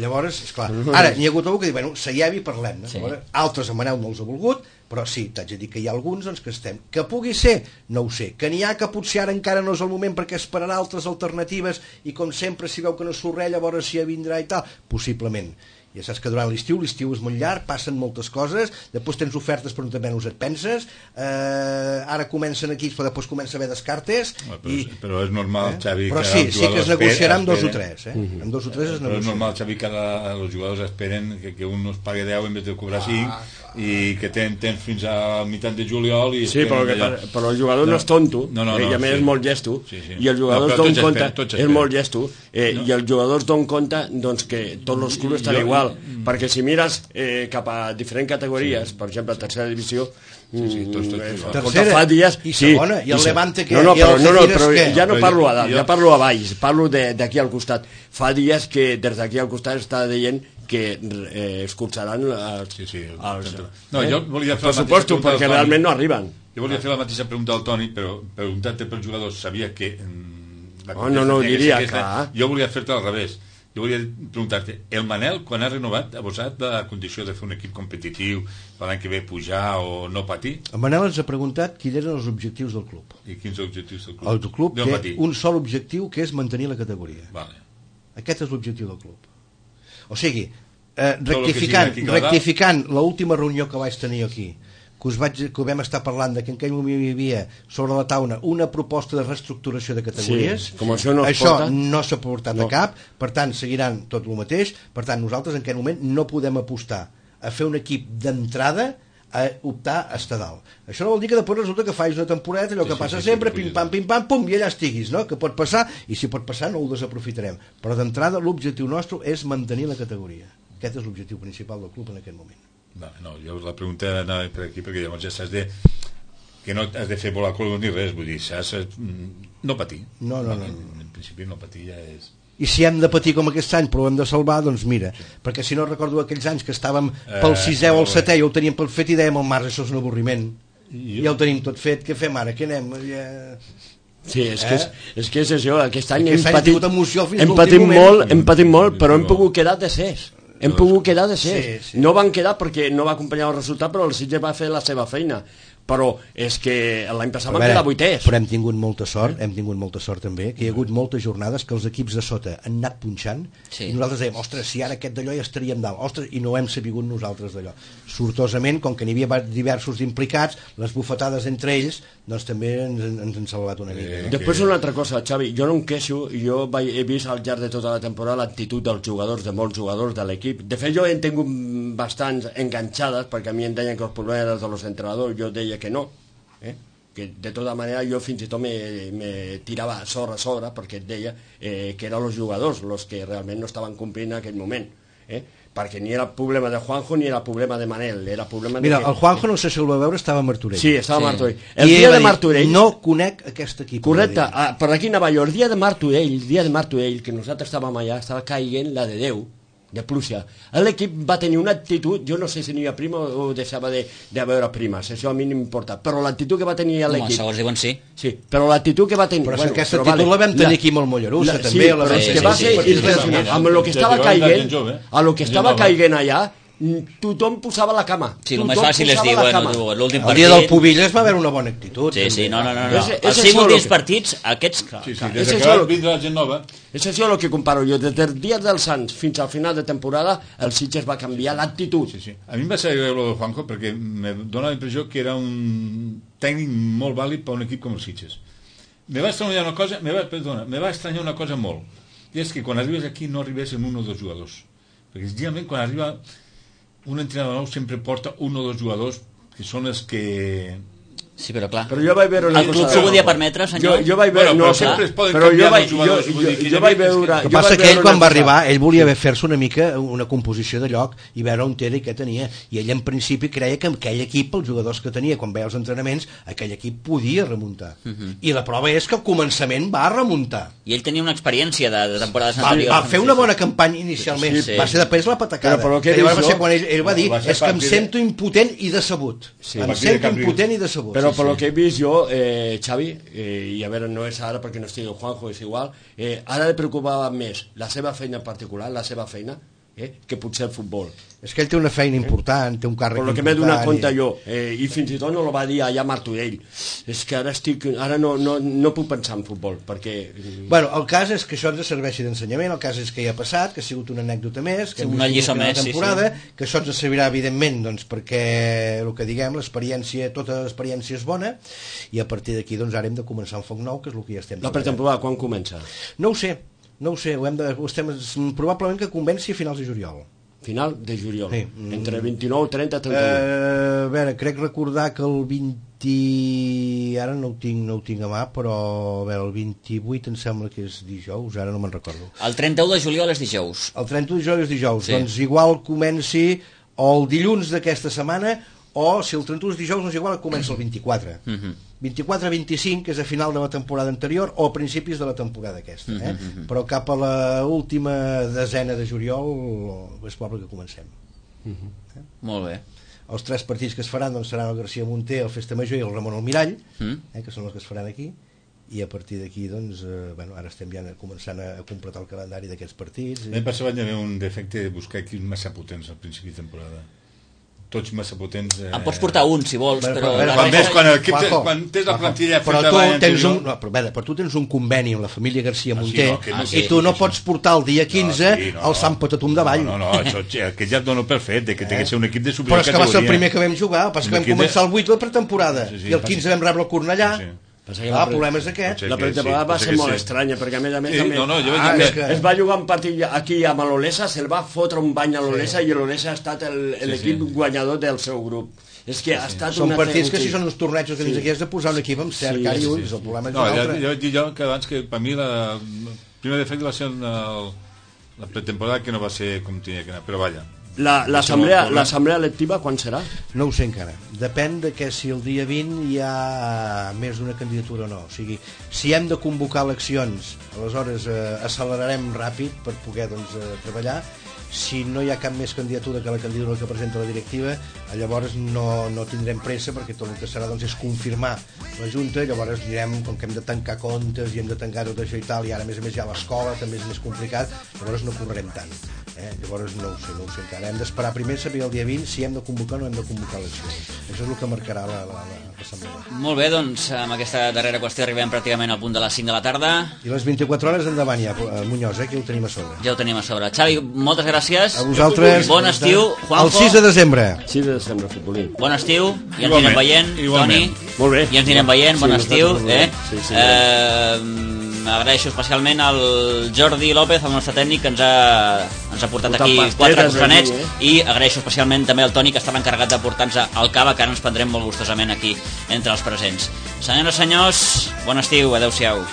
Llavors, esclar, ara n'hi ha hagut algú que diu, bueno, seiem i parlem. No? Sí. Altres en Manel no els ha volgut, però sí, t'haig de dir que hi ha alguns doncs, que estem. Que pugui ser, no ho sé. Que n'hi ha que potser ara encara no és el moment perquè esperarà altres alternatives i com sempre si veu que no surt res, llavors si ja vindrà i tal, possiblement. Ja saps que durant l'estiu és molt llarg, passen moltes coses, després tens ofertes però també no us et penses, ara comencen aquí però després comença a haver descartes però és normal, Xavi, però sí que es negociarà amb 2 o 3 amb 2 o 3 es negocia. Però és normal, Xavi, que els jugadors esperen que un no es pagui 10 en vez de cobrar 5 i que tens fins a meitat de juliol i sí, però el jugador no és tonto i a més és molt llesto i els jugadors donen compte és molt llesto i els jugadors donen compte doncs, que tots els clubs estan igual perquè si mires cap a diferents categories, per exemple, tercera divisió tercera fa dies, i segona, i el Levante que però ja no parlo a dalt, ja parlo a baix, parlo d'aquí al costat. Fa dies que des d'aquí al costat està dient que escurçaran els pressupostos perquè realment no arriben. Jo volia fer la mateixa pregunta al Toni, però preguntant-te pels jugadors sabia que no ho diria, clar. Jo volia fer-te al revés. Jo volia preguntar-te, el Manel, quan ha renovat, ha posat la condició de fer un equip competitiu l'any que ve pujar o no patir? El Manel ens ha preguntat quins eren els objectius del club. I quins objectius del club? El club té un sol objectiu, que és mantenir la categoria. Vale. Aquest és l'objectiu del club. O sigui, rectificant l'última reunió que vaig tenir aquí, que ho vam estar parlant de que en aquell moment hi havia sobre la taula una proposta de reestructuració de categories, com això no s'ha portat a cap, per tant seguiran tot el mateix, per tant nosaltres en aquest moment no podem apostar a fer un equip d'entrada a optar a estar dalt. Això no vol dir que després resulta que facis una temporada allò que passa sempre, pim-pam, pum, i allà estiguis, no? Que pot passar, i si pot passar no ho desaprofitarem, però d'entrada l'objectiu nostre és mantenir la categoria. Aquest és l'objectiu principal del club en aquest moment. No, jo la pregunta anava per aquí perquè llavors ja saps que no has de fer volar col ni res, vull dir, saps no patir. No. En principi no patir ja és... I si hem de patir com aquest any però ho hem de salvar, doncs mira, perquè si no recordo aquells anys que estàvem pel 6è o el 7è i ho teníem tot fet i dèiem al març, això és un avorriment, ja ho tenim tot fet, què fem ara, què anem? Sí, és que és això, aquest any hem patit molt, però hem pogut quedar tercers. Hem pogut quedar de ser. Sí. No van quedar perquè no va acompanyar el resultat, però el Sitges va fer la seva feina. Però és que l'any passat van quedar 8è. Però hem tingut molta sort també, que hi ha hagut moltes jornades que els equips de sota han anat punxant i nosaltres dèiem, ostres, si ara aquest d'allò ja estaríem dalt, ostres, i no hem sabut nosaltres d'allò. Sortosament, com que n'hi havia diversos implicats, les bufetades entre ells, doncs també ens han salvat una mica. Després una altra cosa, Xavi, jo no em queixo, jo he vist al llarg de tota la temporada l'actitud dels jugadors, de molts jugadors de l'equip. De fet, jo he tingut bastants enganxades, perquè a mi em deien que els problemes eren dels entrenadors, jo deia que no, que de tota manera jo fins i tot me tirava sorra a sobre perquè et deia que eren els jugadors els que realment no estaven complint en aquell moment, perquè ni era el problema de Juanjo ni era el problema de Manel, era problema Mira, el Juanjo no sé si el va veure, estava a Martorell. Sí, estava a Martorell. El dia de Martorell... No conec aquest equip. Correcte, per aquí anava jo, el dia de Martorell, que nosaltres estàvem allà, estava caient la de Déu, de pluja. L'equip va tenir una actitud, jo no sé si n'hi havia prima o deixava de veure primes, això a mi no m'importa, però l'actitud que va tenir l'equip... Segons diuen sí. Sí, però l'actitud que va tenir... Però aquesta actitud la vam tenir aquí molt Mollerussa, també. Sí, però és que va ser impressionant. Amb el que estava caient, a lo que estava caient allà, tothom posava la cama. Sí, el més fàcil és dir, bueno, l'últim partit... El dia del Pubilles va haver una bona actitud. Sí, no. Els 5 últims partits, aquests... Sí, des que va vindre la gent nova... És això el que comparo jo. Des del dia dels Sants fins al final de temporada, el Sitges va canviar l'actitud. Sí. A mi em va ser el de Juanjo perquè me dóna la impressió que era un tècnic molt vàlid per un equip com el Sitges. Me va estranyar una cosa molt, i és que quan arribes aquí no arribes amb un o dos jugadors, perquè generalment quan arriba un entrenador nou sempre porta un o dos jugadors que són els que... Sí, però clar. Però jo vaig veure el club s'ho podia permetre, senyor? Jo vaig veure... Però sempre es poden canviar els jugadors. Jo vaig veure... El que passa que ell quan va arribar, ell volia fer-se una mica una composició de lloc i veure on era i què tenia. I ell en principi creia que aquell equip, els jugadors que tenia, quan veia els entrenaments, aquell equip podia remuntar. I la prova és que al començament va remuntar. I ell tenia una experiència de temporades anteriors. Va fer una bona campanya inicialment. Va ser després la patacada. Llavors va ser quan ell va dir, és que em sento impotent i decebut. Em sento impotent i decebut. Però per lo que he vist jo, Xavi, i a veure, no és ara perquè no estigui el Juanjo, és igual, ara li preocupava més la seva feina en particular, la seva feina, que potser el futbol. És que ell té una feina important, té un càrrec important. Per lo que m'he donat compte jo, i fins i tot no lo va dir allà a Martorell, és que ara no puc pensar en futbol, perquè... Bueno, el cas és que això ens serveixi d'ensenyament, el cas és que ja ha passat, que ha sigut una anècdota més, que una lliçó més, temporada, que això ens servirà evidentment, doncs, perquè el que diguem, l'experiència, tota l'experiència és bona, i a partir d'aquí, doncs, ara hem de començar un foc nou, que és el que ja estem... La pretemporada, quan comença? No ho sé, probablement que comenci a finals de juliol. Final de juliol, sí. Entre 29, 30, 31. A veure, crec recordar que el 20... Ara no ho tinc a mà, però a veure, el 28 em sembla que és dijous, ara no me'n recordo. El 31 de juliol és dijous. El 31 de juliol és dijous, sí. Doncs igual comenci o el dilluns d'aquesta setmana, o si el 31 és dijous, doncs igual comença el 24. 24-25 és a final de la temporada anterior o a principis de la temporada aquesta, però cap a la última desena de juliol és probable que comencem. Molt bé. Els 3 partits que es faran doncs, seran el García Monter, el Festa Major i el Ramon Almirall, que són els que es faran aquí, i a partir d'aquí doncs, ara estem ja començant a completar el calendari d'aquests partits. L'any passat vaig haver un defecte de buscar equips massa potents al principi de temporada. Tots massa potents. En pots portar un, si vols, però... Quan tens la plantilla... Però tu tens un conveni amb la família García Monter i tu no pots portar el dia 15 el Sant Patatum de Vall. No, que ja et dono per fet, que té que ser un equip de superior categoria. Però és que va ser el primer que vam jugar, el que vam començar el 8 la pretemporada i el 15 vam rebre el Cornellà. El problema és aquest. La pretemporada va ser molt estranya, perquè a més es va jugar un partit aquí amb l'Olesa, se'l va fotre un bany a l'Olesa i l'Olesa ha estat l'equip guanyador del seu grup. És que ha estat són partits que si són uns tornejos que aquí has de posar un equip amb cert cara i ulls, el problema és un altre. Jo he dit que abans que per mi el primer defecte va ser la pretemporada, que no va ser com tenia que anar, però vaja. L'assemblea electiva quan serà? No ho sé encara, depèn de que si el dia 20 hi ha més d'una candidatura o no, o sigui, si hem de convocar eleccions aleshores accelerarem ràpid per poder treballar. Si no hi ha cap més candidatura que la candidatura que presenta la directiva, llavors no tindrem pressa, perquè tot el que serà és confirmar la Junta, llavors direm, com que hem de tancar comptes i hem de tancar tot això i tal, i ara a més hi ha l'escola, també és més complicat, llavors no correrem tant. Llavors no ho sé encara. Hem d'esperar primer saber el dia 20 si hem de convocar o no hem de convocar eleccions. Això és el que marcarà l'assemblea. Molt bé, doncs amb aquesta darrera qüestió arribem pràcticament al punt de les 5 de la tarda. I les 24 hores endavant ja, Muñoz, que ho tenim a sobre. Ja ho tenim a sobre. Xavi, moltes gràcies. A vosaltres. Bon estiu, Juanjo. El 6 de desembre. 6 de desembre, futbolí. Bon estiu, i ens anirem veient, Toni. Molt bé. I ens anirem veient, bon estiu. Agraeixo especialment al Jordi López, el nostre tècnic, que ens ha portat aquí 4 costranets, i agraeixo especialment també al Toni, que estava encarregat de portar-nos al cava, que ara ens prendrem molt gustosament aquí entre els presents. Senyores i senyors, bon estiu, adeu-siau.